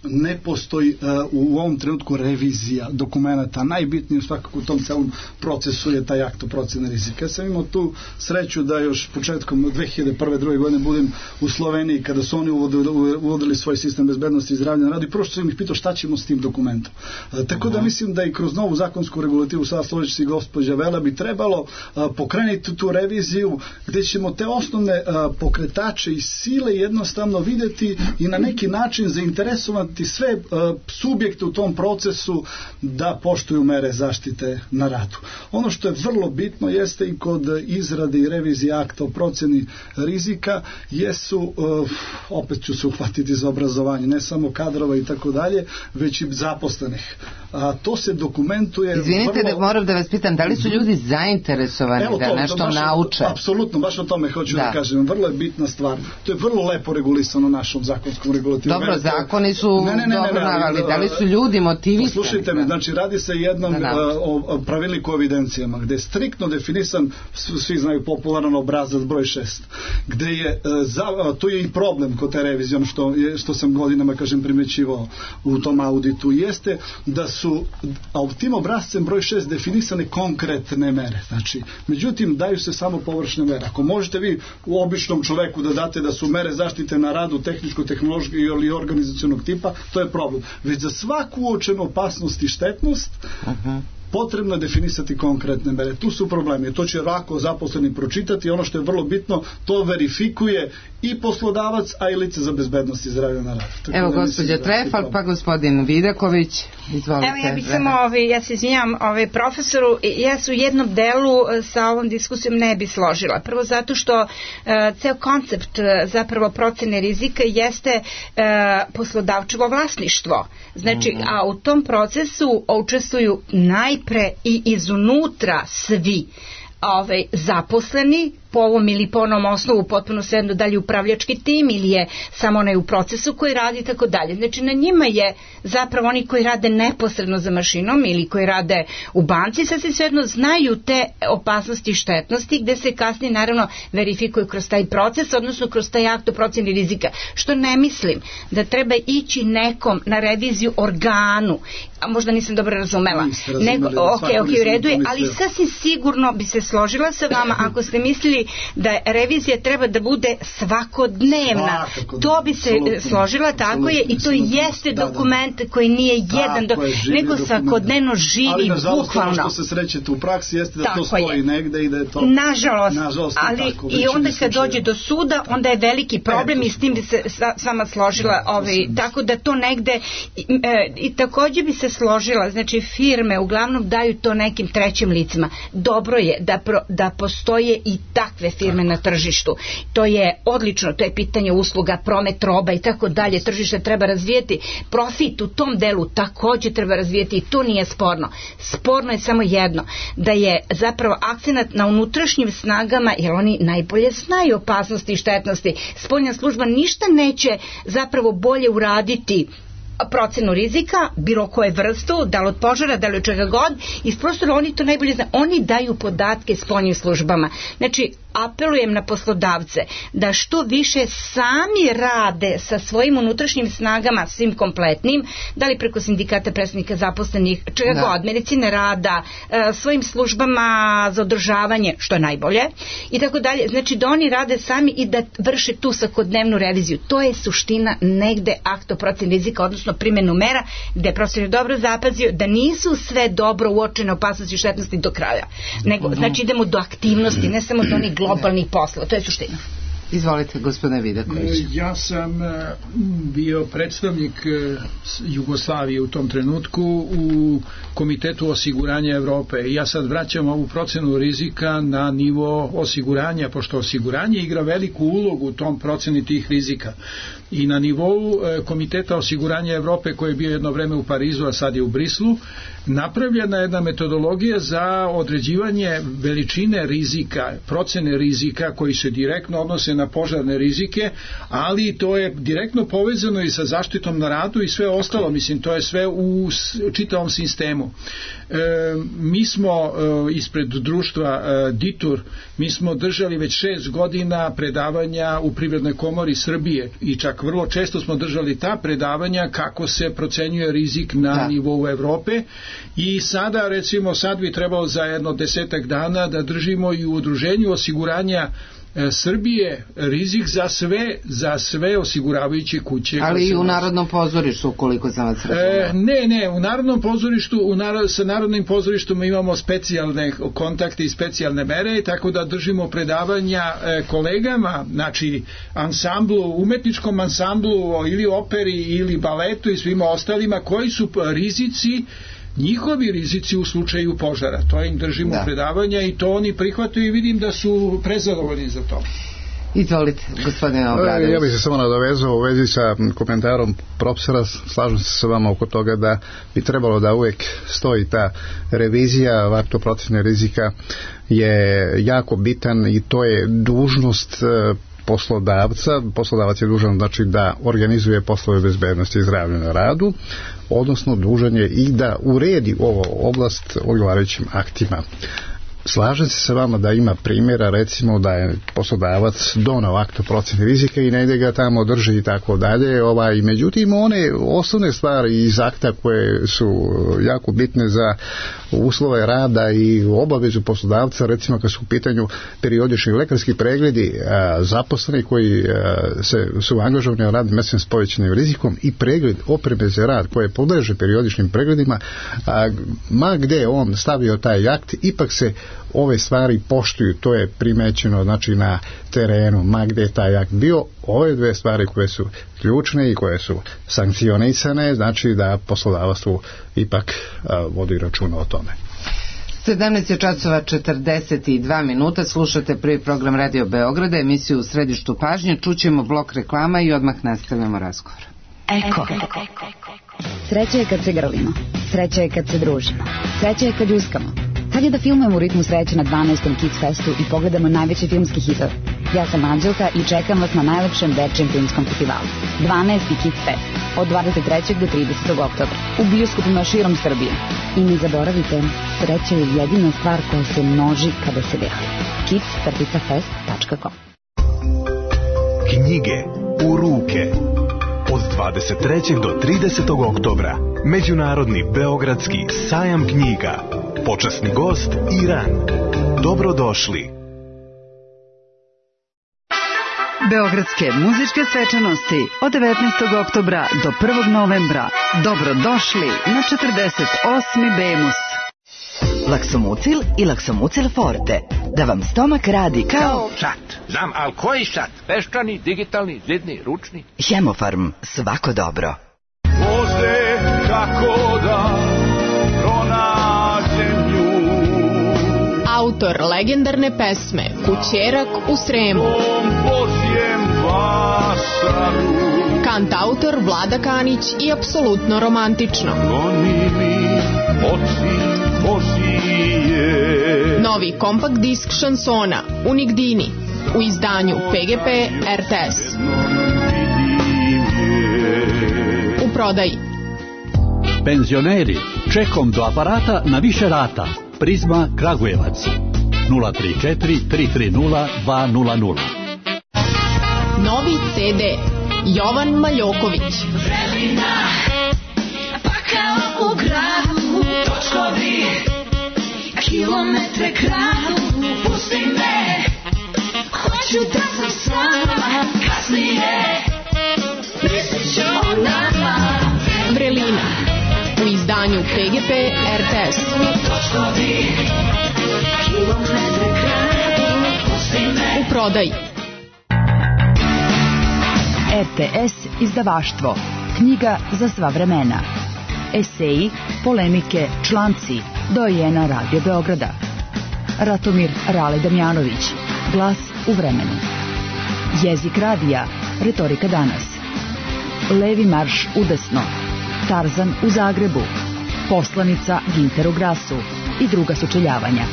ne postoji uh, u ovom trenutku revizija dokumenta. Najbitnije svakako u tom celom procesu je taj akt o procjeni rizika. Ja sam imao tu sreću da još početkom dve hiljade prve druge godine budem u Sloveniji kada su oni uvodili, uvodili svoj sistem bezbednosti i zdravlja na radu i prvo što sam ih pitao šta ćemo s tim dokumentom. Uh, tako da mislim da i kroz novu zakonsku regulativu, sada složit se i gospođa Vela, bi trebalo uh, pokrenuti tu reviziju gde ćemo te osnovne uh, pokretače i sile jednostavno videti i na neki način zainteresovati sve uh, subjekte u tom procesu da poštuju mere zaštite na radu. Ono što je vrlo bitno jeste i kod izrade i revizije akta o procjeni rizika jesu, uh, opet ću se uhvatiti za obrazovanje, ne samo kadrova i tako dalje, već i zaposlenih. A to se dokumentuje...
Izvinite
vrlo...
da moram da vas pitam, da li su ljudi zainteresovani Evo da to, nešto baš, nauče?
Apsolutno, baš o tome hoću da. da kažem. Vrlo je bitna stvar. To je vrlo lepo regulisano našom zakonskom regulativom.
Dobro, Velite... zakoni su ne, ne, ne, dobro navali. Da li su ljudi motivisani?
Slušajte me, znači radi se jednom da, o pravilniku o evidencijama, gde je striktno definisan, svi znaju popularan obrazac broj šest, gde je, za, tu je i problem kod te revizije, ono što, je, što sam godinama, kažem, primećivao u tom auditu, jeste da su a u tim obrazcem broj šest definisane konkretne mere. Znači, međutim, daju se samo površne mere. Ako možete vi u običnom čoveku da date da su mere zaštite na radu tehničko-tehnološkog ili organizacionog tipa, to je problem. Već za svaku uočenu opasnost i štetnost uh-huh. potrebno je definisati konkretne mere. Tu su problemi. To će lako zaposleni pročitati. Ono što je vrlo bitno, to verifikuje i poslodavac, a i lice za bezbednost i zdravlje na radu. Tako
Evo gospođa Trefalt, pa gospodin Vidaković. Izvolite.
Evo ja bih samo, ovi, ja se izvinjam ovi profesoru, ja se u jednom delu sa ovom diskusijom ne bi složila. Prvo zato što uh, ceo koncept uh, zapravo procene rizika jeste uh, poslodavčevo vlasništvo. Znači, mm-hmm. a u tom procesu učestvuju najpre i izunutra svi ovaj, zaposleni, po ovom ili po onom osnovu potpuno svejedno da li upravljački tim ili je samo onaj u procesu koji radi i tako dalje. Znači na njima je zapravo oni koji rade neposredno za mašinom ili koji rade u banci, sasvim svejedno znaju te opasnosti i štetnosti gde se kasnije naravno verifikuju kroz taj proces, odnosno kroz taj akt o procjeni rizika. Što ne mislim da treba ići nekom na reviziju organu, a možda nisam dobro razumela. Nego, ok, ok, u redu je, ali sasvim sigurno bi se složila sa vama ako ste mislili da revizija treba da bude svakodnevna. To bi se složila, tako je, i to jeste dokument koji nije jedan, nego svakodnevno živi, bukvalno. Ali
nažalost ono što se srećete u praksi jeste da to stoji negde i da je to...
Nažalost, ali i onda kad dođe do suda, onda je veliki problem i s tim bi se s vama složila, tako da to negde i takođe bi se složila, znači firme uglavnom daju to nekim trećim licima. Dobro je da, pro, da postoje i takve firme na tržištu. To je odlično, to je pitanje usluga, promet roba i tako dalje. Tržište treba razvijeti, profit u tom delu takođe treba razvijeti i to nije sporno. Sporno je samo jedno, da je zapravo akcenat na unutrašnjim snagama, jer oni najbolje znaju opasnosti i štetnosti. Spoljna služba ništa neće zapravo bolje uraditi procenu rizika, bilo koje vrstu, da li od požara, da li od čega god, iz prostora oni to najbolje znaju. Oni daju podatke spoljnim službama. Znači, apelujem na poslodavce da što više sami rade sa svojim unutrašnjim snagama, svim kompletnim, da li preko sindikata predstavnika zaposlenih, čega da. god, medicine rada, svojim službama za održavanje, što je najbolje, i tako dalje. Znači, da oni rade sami i da vrše tu svakodnevnu reviziju. To je suština negde akta o proceni rizika, odnosno primjenu mera, gde profesor je dobro zapazio da nisu sve dobro uočene opasnosti i štetnosti do kraja. Nego, znači, idemo do aktivnosti, ne samo do onih globalnih posla. To je suština.
Izvolite, gospodine Vidaković.
Ja sam bio predstavnik Jugoslavije u tom trenutku u Komitetu osiguranja Evrope. Ja sad vraćam ovu procenu rizika na nivo osiguranja, pošto osiguranje igra veliku ulogu u tom proceni tih rizika. I na nivou Komiteta osiguranja Evrope, koji je bio jedno vreme u Parizu, a sad je u Brislu, napravljena jedna metodologija za određivanje veličine rizika, procene rizika koji se direktno odnose na požarne rizike, ali to je direktno povezano i sa zaštitom na radu i sve ostalo, mislim, to je sve u čitavom sistemu. E, mi smo e, ispred društva e, Ditur, mi smo držali već šest godina predavanja u Privrednoj komori Srbije i čak vrlo često smo držali ta predavanja kako se procenjuje rizik na da. nivou Evrope. I sada, recimo, sad bi trebalo za jedno desetak dana da držimo i u udruženju osiguranja e, Srbije rizik za sve za sve osiguravajuće kuće.
Ali i u Narodnom pozorištu, ukoliko sam vas razumela.
E, ne, ne, u Narodnom pozorištu, u narod, sa Narodnim pozorištom imamo specijalne kontakte i specijalne mere, tako da držimo predavanja e, kolegama, znači ansamblu, umetničkom ansamblu ili operi ili baletu i svima ostalima, koji su rizici, njihovi rizici u slučaju požara. To im držimo da. predavanja i to oni prihvataju i vidim da su prezadovoljni za to.
Izvolite, gospodine Obradović.
Ja bih se samo nadovezao u vezi sa komentarom profesora, slažem se sa vama oko toga da bi trebalo da uvijek stoji ta revizija vaktoprocene rizika je jako bitan i to je dužnost poslodavca. Poslodavac je dužan, znači, da organizuje poslove bezbednosti i zdravlja na radu, odnosno dužan je i da uredi ovo oblast odgovarajućim aktima. Slažem se sa vama da ima primjera, recimo da je poslodavac donao akt o proceni rizika i negdje ga tamo drži i tako dalje, ovaj, međutim one osnovne stvari iz akta koje su jako bitne za uslove rada i obavezu poslodavca, recimo kad su u pitanju periodični lekarski pregledi a, zaposleni koji a, se, su angažovani na radnim mjestima s povećanim rizikom i pregled opreme za rad koje podleže periodičnim pregledima, a, ma gde on stavio taj akt, ipak se ove stvari poštuju, to je primećeno, znači, na terenu, ma gde je taj akt bio. Ove dve stvari koje su ključne i koje su sankcionisane, znači da poslodavstvo ipak a, vodi računa o tome.
sedamnaest časova četrdeset dva minuta, slušate prvi program Radio Beograda, emisiju U središtu pažnje, čućemo blok reklama i odmah nastavljamo razgovor.
Eko. Sreća je kad se grlimo, sreća je kad se družimo, sreća je kad ljuskamo. Kad je da filmujemo u ritmu sreće na dvanaestom Kids Festu i pogledamo najveći filmski hitove. Ja sam Anđelka i čekam vas na najlepšem dečijem filmskom festivalu. dvanaesti Kids Fest od dvadeset trećeg do tridesetog oktobra u bioskopima širom Srbije. I ne zaboravite, sreća je jedina stvar koja se množi kada se deli. kids fest tačka com.
Knjige u ruke. Od dvadeset trećeg do tridesetog oktobra Međunarodni beogradski sajam knjiga. Počasni gost Iran. Dobrodošli.
Beogradske muzičke svečanosti od devetnaestog oktobra do prvog novembra. Dobrodošli na četrdeset osmi Bemus.
Laksomucil i Laksomucil Forte. Da vam stomak radi kao...
Šat. Znam, ali koji šat? Peščani, digitalni, zidni, ručni?
Hemofarm. Svako dobro.
Voze kako da pronađem nju.
Autor legendarne pesme Kućerak u Sremu. Kantautor Vlada Kanić i apsolutno romantično. Novi kompakt disk šansona Unigdini u izdanju P G P R T S. U prodaji.
Penzioneri, čekom do aparata na više rata. Prizma Kragujevac nula tri četiri tri tri nula dva nula nula.
Novi C D Jovan Maljoković.
Vremena, pa kao u gradu, točkovi, kilometre kradu, pusti me, hoću da sam s vama, kasnije, mislit ću o nama.
Vrelina, u izdanju P G P R T S.
Točkovi, kilometre kradu, pusti me.
U prodaji.
R T S izdavaštvo. Knjiga za sva vremena. Eseji, polemike, članci. Dojena Radio Beograda. Ratomir Rale Damjanović. Glas u vremenu. Jezik radija. Retorika danas. Levi marš udesno. Tarzan u Zagrebu. Poslanica Ginteru Grasu i druga sučeljavanja.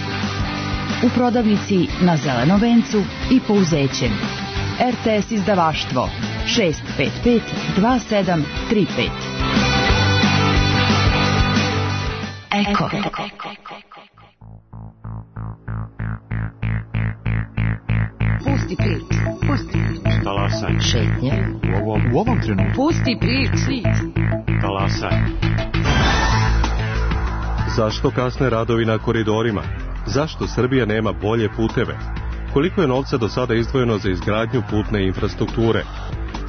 U prodavnici na Zelenom vencu i Pouzećem. R T S izdavaštvo šest pet pet dva sedam tri pet. Eko.
Pusti prič, pusti prič.
Talasaj.
Šetnje.
U ovom, u ovom trenutku.
Pusti prič.
Talasaj.
Zašto kasne radovi na koridorima? Zašto Srbija nema bolje puteve? Koliko je novca do sada izdvojeno za izgradnju putne infrastrukture?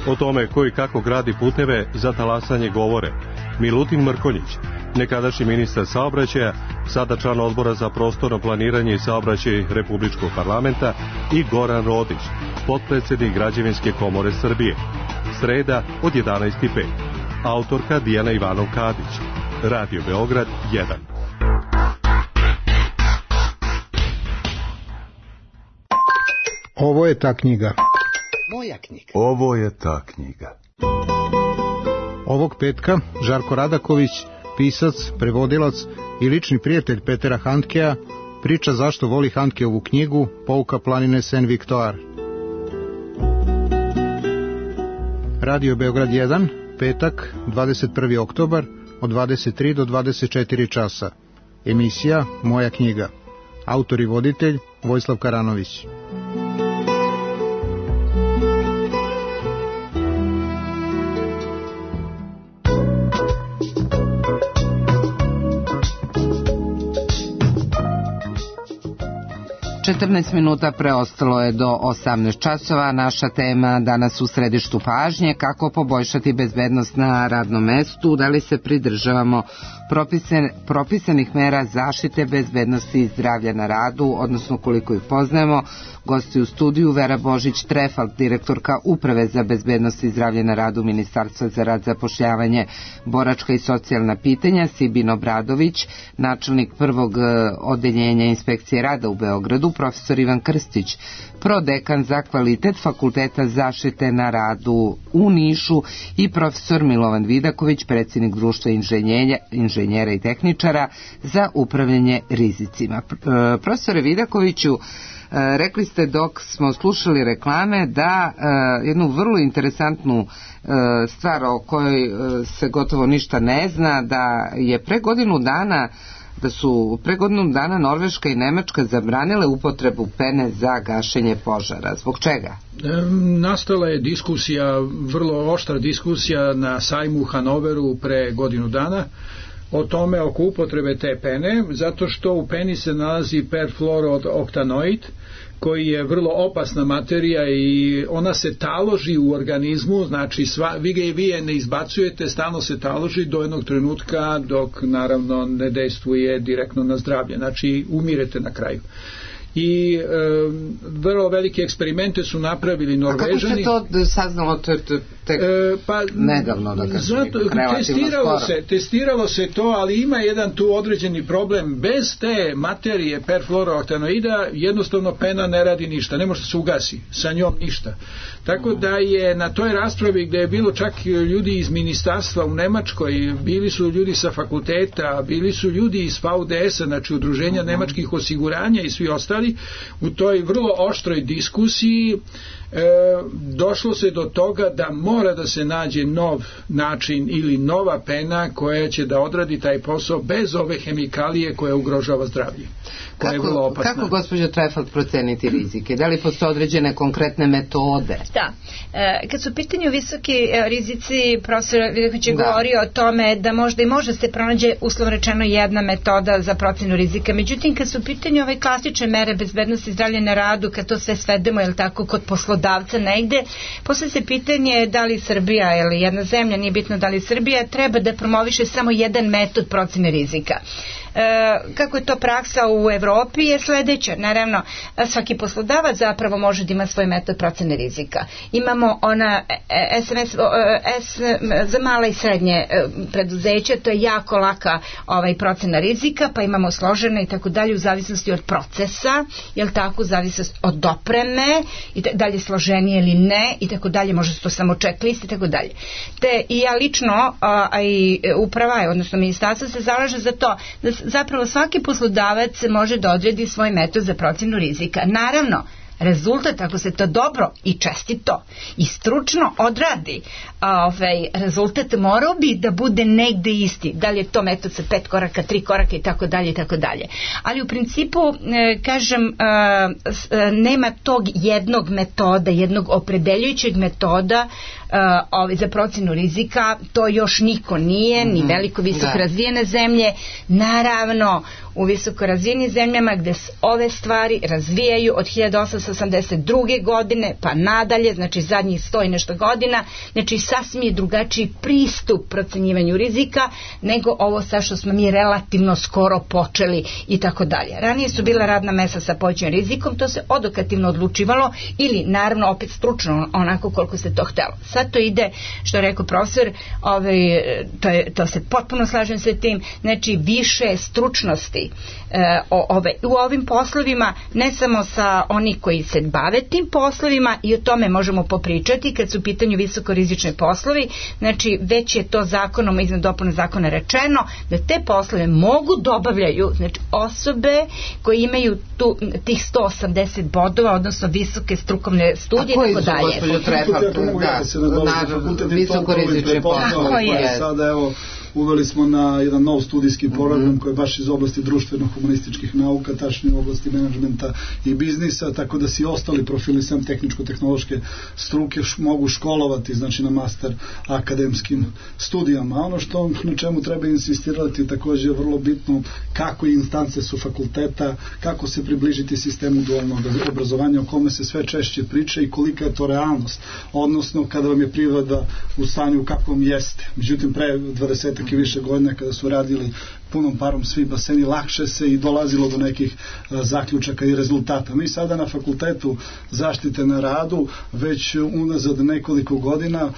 O tome ko i kako gradi puteve za talasanje govore Milutin Mrkonjić, nekadašnji ministar saobraćaja, sada član odbora za prostorno planiranje i saobraćaj Republičkog parlamenta, i Goran Rodić, potpredsednik Građevinske komore Srbije. Sreda od jedanaest i pet. Autorka Dijana Ivanov-Kadić. Radio Beograd jedan.
Ovo je ta knjiga.
Moja knjiga.
Ovo je ta knjiga.
Ovog petka Žarko Radaković, pisac, prevodilac i lični prijatelj Petera Handkea, priča zašto voli Handkeovu knjigu Pouka planine Saint-Victoire. Radio Beograd jedan, petak, dvadeset prvi oktobar, od dvadeset tri do dvadeset četiri časa. Emisija Moja knjiga. Autor i voditelj Vojislav Karanović.
četrnaest minuta preostalo je do osamnaest časova. Naša tema danas u središtu pažnje: kako poboljšati bezbednost na radnom mestu, da li se pridržavamo propisan, propisanih mera zaštite bezbednosti i zdravlja na radu, odnosno koliko ih poznajemo. Gosti u studiju Vera Božić-Trefalt, direktorka Uprave za bezbednost i zdravlje na radu Ministarstva za rad, zapošljavanje, boračka i socijalna pitanja, Sibin Obradović, načelnik prvog odeljenja inspekcije rada u Beogradu, profesor Ivan Krstić, prodekan za kvalitet Fakulteta zaštite na radu u Nišu, i profesor Milovan Vidaković, predsjednik Društva inženjera, inženjera i tehničara za upravljanje rizicima. Profesore Vidakoviću, rekli ste dok smo slušali reklame da uh, jednu vrlo interesantnu uh, stvar o kojoj uh, se gotovo ništa ne zna, da je pre godinu dana da su pre godinu dana Norveška i Nemačka zabranile upotrebu pene za gašenje požara. Zbog čega?
E, nastala je diskusija, vrlo oštra diskusija na sajmu u Hanoveru pre godinu dana o tome, oko upotrebe te pene, zato što u peni se nalazi perfluorooktanoid, koji je vrlo opasna materija i ona se taloži u organizmu, znači sva, vi ga i vi je ne izbacujete, stalno se taloži do jednog trenutka dok naravno ne dejstvuje direktno na zdravlje, znači umirete na kraju. I e, vrlo velike eksperimente su napravili Norvežani.
A kako se to saznalo te, te, te e, pa, nedavno, da kažem,
zato, testiralo se, testiralo se to, ali ima jedan tu određeni problem. Bez te materije perfluorooktanoida jednostavno pena ne radi ništa, ne može se ugasi sa njom ništa. Tako da je na toj raspravi, gde je bilo čak ljudi iz ministarstva u Nemačkoj, bili su ljudi sa fakulteta, bili su ljudi iz V D S-a, znači udruženja nemačkih osiguranja i svi ostali, u toj vrlo oštroj diskusiji e, došlo se do toga da mora da se nađe nov način ili nova pena koja će da odradi taj posao bez ove hemikalije koja ugrožava zdravlje. Koja
kako,
je vrlo opasna.
Kako, gospođo Trefalt, proceniti rizike? Da li postoje određene konkretne metode?
Da. E, kad su u pitanju visoki e, rizici, profesor Vidaković je govorio o tome da možda i može se pronađe, uslovno rečeno, jedna metoda za procenu rizika. Međutim, kad su u pitanju ove klasične mere bezbednosti i zdravlja na radu, kad to sve svedemo, je li tako, kod poslodavca negde, posle se pitanje da li Srbija ili jedna zemlja, nije bitno da li Srbija, treba da promoviše samo jedan metod procene rizika. kako je to praksa u Evropi je sledeća. Naravno, svaki poslodavac zapravo može da ima svoj metod procene rizika. Imamo ona S M S, S, za mala i srednje preduzeća, to je jako laka ovaj, procena rizika, pa imamo složene i tako dalje u zavisnosti od procesa, jel tako, u zavisnosti od opreme, i dalje složenije ili ne, i tako dalje, može se to samo checklist i tako dalje. Te i ja lično, a, a i uprava, odnosno ministarstvo se zalaže za to da zapravo svaki poslodavac može da odredi svoj metod za procenu rizika. Naravno, rezultat, ako se to dobro i čestito i stručno odradi, ovaj, rezultat morao bi da bude negde isti. Da li je to metod sa pet koraka, tri koraka i tako dalje i tako dalje. Ali u principu, kažem, nema tog jednog metoda, jednog opredeljujućeg metoda ovaj, za procenu rizika. To još niko nije, ni veliko visoko razvijene zemlje. Naravno, u visoko razvijenim zemljama gde se ove stvari razvijaju od hiljadu osamsto osamdeset druge godine pa nadalje, znači zadnjih sto i nešto godina, znači sasvim je drugačiji pristup procenjivanju rizika nego ovo sa što smo mi relativno skoro počeli i tako dalje. Ranije su bila radna mesta sa povećanim rizikom, to se odokativno odlučivalo ili naravno opet stručno onako koliko se to htelo. Sad to ide, što je rekao profesor, ovaj, to, je, to se potpuno slažem sa tim, znači više stručnosti e, o, ove, u ovim poslovima, ne samo sa oni koji se bave tim poslovima, i o tome možemo popričati kad su u pitanju visokorizični poslovi, znači već je to zakonom, izmjenom dopune zakona rečeno da te poslove mogu da obavljaju, znači osobe koje imaju tu, tih sto osamdeset bodova, odnosno visoke strukovne studije i tako dalje.
A koji su, gospođo Trepak, visokorizični poslovi? Sada evo uveli smo na jedan nov studijski program mm-hmm. koji je baš iz oblasti društveno-humanističkih nauka, tačnije u oblasti menadžmenta i biznisa, tako da si ostali profili sam tehničko-tehnološke struke š, mogu školovati, znači na master akademskim studijama. A ono što na čemu treba insistirati također je vrlo bitno kako instance su fakulteta, kako se približiti sistemu dualnog obrazovanja o kome se sve češće priča i kolika je to realnost, odnosno kada vam je priroda u stanju kakvom jeste. Međutim, pre dvadeset i više godina kada su radili punom parom svi baseni, lakše se i dolazilo do nekih a, zaključaka i rezultata. Mi sada na fakultetu zaštite na radu već unazad nekoliko godina a,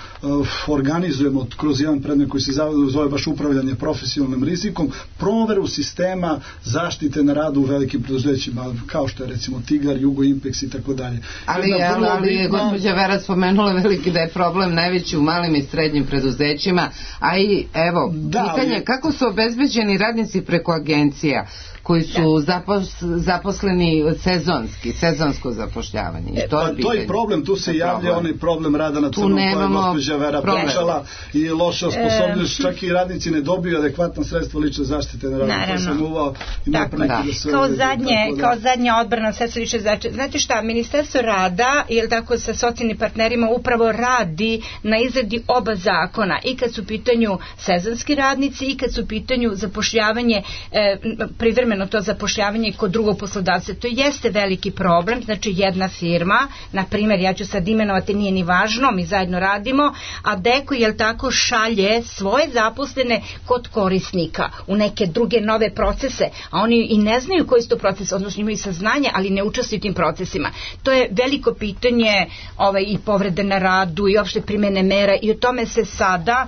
organizujemo kroz jedan predmet koji se zove baš upravljanje profesionalnim rizikom, proveru sistema zaštite na radu u velikim preduzećima, kao što je recimo Tigar, Jugo, Impex i tako dalje.
Ali, ali, ali je gospođa Vera spomenula veliki da je problem najveći u malim i srednjim preduzećima, a i evo, da, pitanje ali, kako su obezbeđeni radnici preko agencija koji su zapos, zaposleni sezonski, sezonsko zapošljavanje. I to,
pa,
je
to je problem, tu se javlja problem. Onaj problem rada na crnom koje je gospođa Vera pričala i loša osposobljenost, e, čak i radnici ne dobiju adekvatna sredstva lične zaštite na radu.
Naravno. Uvao, tako, da. Da se kao, zadnje, tako, da. kao zadnja odbrana sredstva lične zaštite. Znate šta, Ministarstvo rada, ili tako sa socijalnim partnerima upravo radi na izradi oba zakona, i kad su u pitanju sezonski radnici i kad su u pitanju zapošljavanje e, privremeno to zapošljavanje kod drugog poslodavca. To jeste veliki problem, znači jedna firma, na primjer, ja ću sad imenovati, nije ni važno, mi zajedno radimo, a Deko, jel tako, šalje svoje zaposlene kod korisnika u neke druge nove procese, a oni i ne znaju koji su to procesi, odnosno imaju saznanje, ali ne učestvuju tim procesima. To je veliko pitanje ovaj, i povrede na radu i opšte primene mera, i o tome se sada,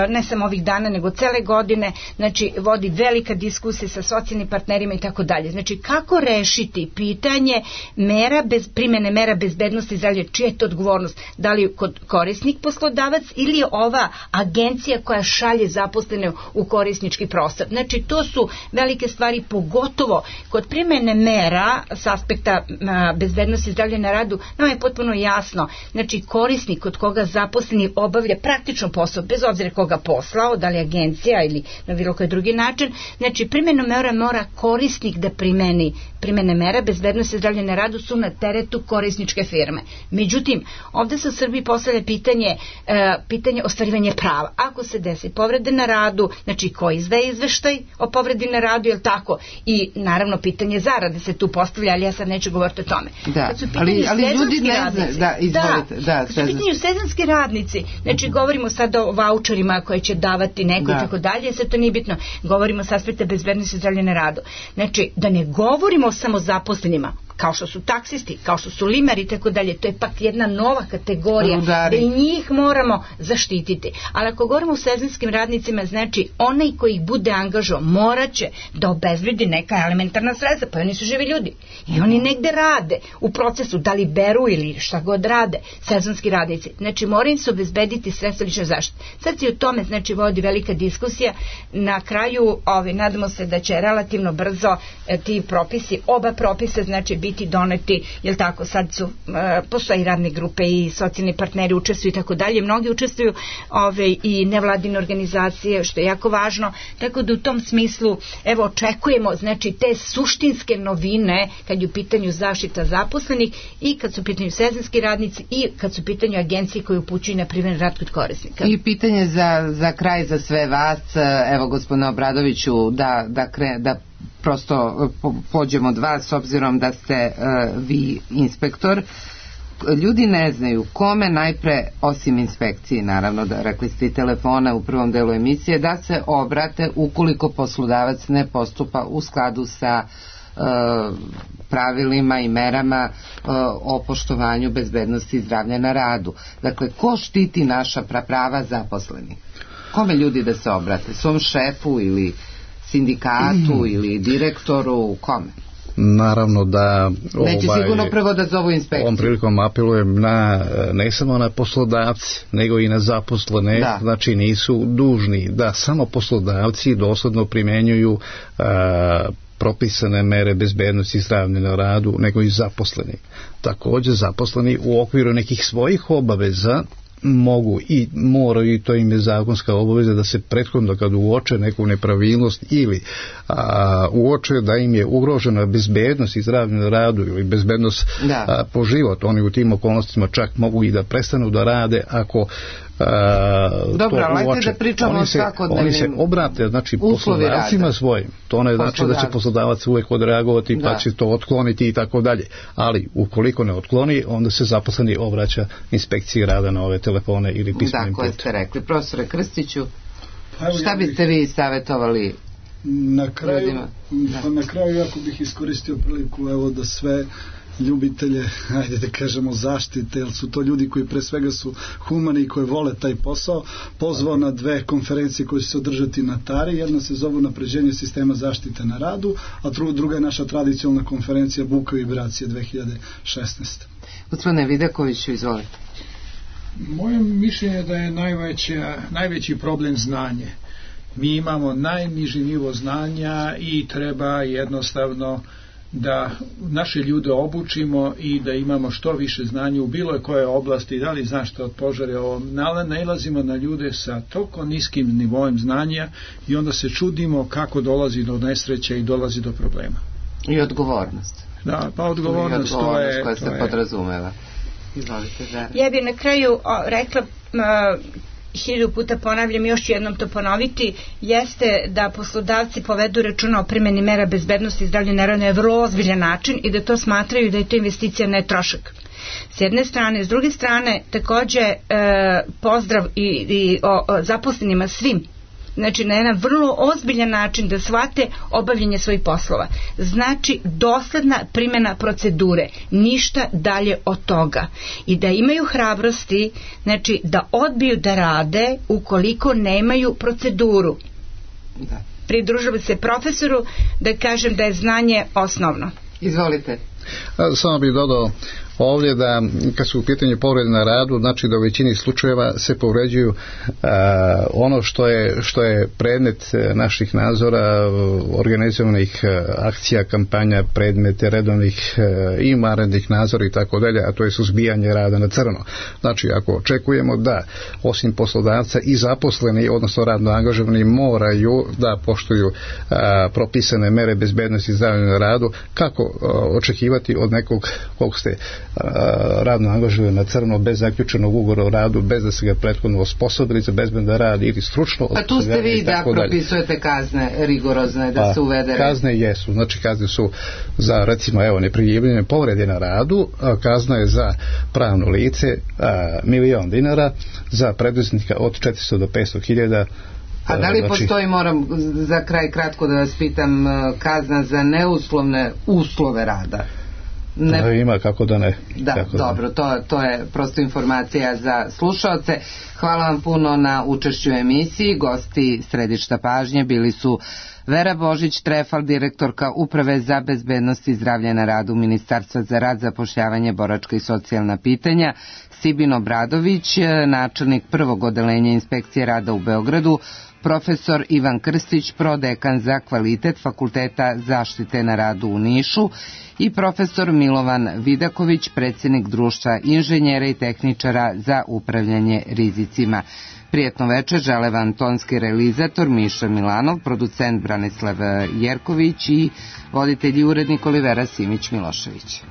ne samo ovih dana, nego cele godine, znači vodi velika diskusija sa socijalnim partnerima i tako dalje. Znači, kako rešiti pitanje mera bez, primene mera bezbednosti zdravlja, čija je to odgovornost? Da li kod korisnik poslodavac ili je ova agencija koja šalje zaposlene u korisnički prostor? Znači, to su velike stvari, pogotovo kod primene mera s aspekta a, bezbednosti zdravlja na radu. Nama je potpuno jasno, znači korisnik kod koga zaposleni obavlja praktično posao, bez obzira koga poslao, da li agencija ili na bilo koji drugi način, znači primenu mera mora korisnik da primeni primene mera bezbednosti zdravlja na radu su na teretu korisničke firme. Međutim, ovde se u Srbiji postavlja pitanje, e, pitanje ostvarivanja prava. Ako se desi povrede na radu, znači ko izdaje izveštaj o povredi na radu, je li tako? I naravno pitanje zarade se tu postavlja, ali ja sad neću govoriti o tome.
Da, ali, ali ljudi ne znaju. Da, izvolite.
Da, da, kad su pitanju sezonski radnici, znači govorimo sad o vaučerima koje će davati neko i tako dalje, sve to nije bitno. Govorimo s aspekta bezbednosti zdravlja na radu. Znači, da ne govorimo samo zaposlenima, kao što su taksisti, kao što su limari i tako dalje, to je pak jedna nova kategorija da i njih moramo zaštititi. Ali ako govorimo o sezonskim radnicima, znači onaj koji ih bude angažao morat će da obezbedi neka elementarna sredstva, pa oni su živi ljudi i oni negde rade u procesu, da li beru ili šta god rade, sezonski radnici. Znači moraju im se obezbediti sredstva lične zaštite. Sad se u tome znači vodi velika diskusija. Na kraju ovi, nadamo se da će relativno brzo e, ti propisi, oba propisa znači biti doneti, jel tako, sad su, e, postoji radne grupe i socijalni partneri učestvuju i tako dalje, mnogi učestvuju ove, i nevladine organizacije, što je jako važno, tako da u tom smislu, evo, očekujemo, znači, te suštinske novine kad je u pitanju zaštita zaposlenih i kad su u pitanju sezonski radnici i kad su u pitanju agencije koje upućuju na privremeni rad kod korisnika.
I pitanje za, za kraj za sve vas, evo, gospodine Obradoviću, da, da, kre, da prosto pođemo od vas, s obzirom da ste uh, vi inspektor. Ljudi ne znaju kome najpre, osim inspekcije, naravno, da rekli ste i telefona u prvom delu emisije, da se obrate ukoliko poslodavac ne postupa u skladu sa uh, pravilima i merama uh, o poštovanju bezbednosti i zdravlja na radu. Dakle, ko štiti naša prava zaposlenih? Kome ljudi da se obrate? Svom šefu ili sindikatu mm. ili direktoru, kome?
Naravno da
neće ovaj, sigurno prvo da zovu inspekciju.
Ovom prilikom apelujem na, ne samo na poslodavci, nego i na zaposlene, da. Znači nisu dužni da samo poslodavci dosledno primenjuju a, propisane mere bezbednosti i zdravlja na radu, nego i zaposleni. Također zaposleni u okviru nekih svojih obaveza mogu i moraju, i to im je zakonska obaveza, da se prethodno kad uoče neku nepravilnost ili a, uoče da im je ugrožena bezbednost i zdravlje na radu ili bezbednost a, po život, oni u tim okolnostima čak mogu i da prestanu da rade ako Uh,
dobro, ali da pričamo o svakodnevnim
oni se obrate, znači poslodavcima svojim, to ne znači da će poslodavac uvijek odreagovati pa će to otkloniti i tako dalje, ali ukoliko ne otkloni, onda se zaposleni obraća inspekciji rada na ove telefone ili pismenim putem.
Da, koje ste rekli. Profesore Krstiću, pa šta biste vi savjetovali
na kraju, pa na kraju jako bih iskoristio priliku, evo, da sve ljubitelje, ajde da kažemo, zaštite, jer su to ljudi koji pre svega su humani i koji vole taj posao, pozvao na dve konferencije koje će se održati na Tari. Jedna se zove Unapređenje sistema zaštite na radu, a druga je naša tradicionalna konferencija Buka i vibracije dve hiljade šesnaeste.
Gospodine Vidakoviću, izvolite.
Moje mišljenje je da je najveća, najveći problem znanje. Mi imamo najniži nivo znanja i treba jednostavno da naše ljude obučimo i da imamo što više znanja u bilo koje oblasti, da li zaštita od požara, ovo, nailazimo na ljude sa toliko niskim nivojem znanja i onda se čudimo kako dolazi do nesreće i dolazi do problema.
I odgovornost.
Da, pa odgovornost,
I odgovornost
to je...
koja se
to
podrazumeva. Izvolite, Zara.
Ja bih na kraju o, rekla... Uh, hiljadu puta ponavljam, još ću jednom to ponoviti, jeste da poslodavci povedu računa o primjeni mera bezbednosti i zdravlja na radu na vrlo ozbiljan način i da to smatraju da je to investicija, ne trošak. S jedne strane, s druge strane, takođe e, pozdrav i, i o, o zaposlenima svim, znači na jedan vrlo ozbiljan način da shvate obavljanje svojih poslova. Znači dosledna primjena procedure, ništa dalje od toga. I da imaju hrabrosti, znači da odbiju da rade ukoliko nemaju proceduru.
Da.
Pridružujem se profesoru da kažem da je znanje osnovno.
Izvolite.
Samo bih dodao ovdje da kad su u pitanju povrede na radu, znači da u većini slučajeva se povređuju a, ono što je, što je predmet naših nadzora, organizovanih akcija, kampanja, predmete redovnih i vanrednih nadzora i tako dalje, a to je suzbijanje rada na crno. Znači ako očekujemo da osim poslodavca i zaposleni, odnosno radno angažovani, moraju da poštuju a, propisane mere bezbednosti i zdravlja na radu, kako a, očekivati od nekog kog ste radno angažuje na crno bez zaključenog ugovora o radu, bez da se ga prethodno osposobili za bezbedan rad ili stručno.
A tu ste vi da propisujete kazne rigorozne, da pa, se uvede.
Kazne jesu, znači kazne su za recimo evo neprijavljene povrede na radu, a kazna je za pravno lice a, milion dinara, za preduzetnika od četiristo do petsto hiljada.
A da li znači, postoji, moram za kraj kratko da vas pitam, kazna za neuslovne uslove rada?
Ne. Da, ima, kako da ne.
Da,
kako
dobro,
da
to, to je prosto informacija za slušaoce. Hvala vam puno na učešću u emisiji. Gosti središta pažnje bili su Vera Božić-Trefal, direktorka Uprave za bezbednost i zdravlje na radu Ministarstva za rad, zapošljavanje, boračka i socijalna pitanja, Sibin Obradović, načelnik prvog odeljenja inspekcije rada u Beogradu, profesor Ivan Krstić, prodekan za kvalitet Fakulteta zaštite na radu u Nišu i profesor Milovan Vidaković, predsjednik Društva inženjera i tehničara za upravljanje rizicima. Prijetno večer žele vam tonski realizator Miša Milanov, producent Branislav Jerković i voditelj i urednik Olivera Simić Milošević.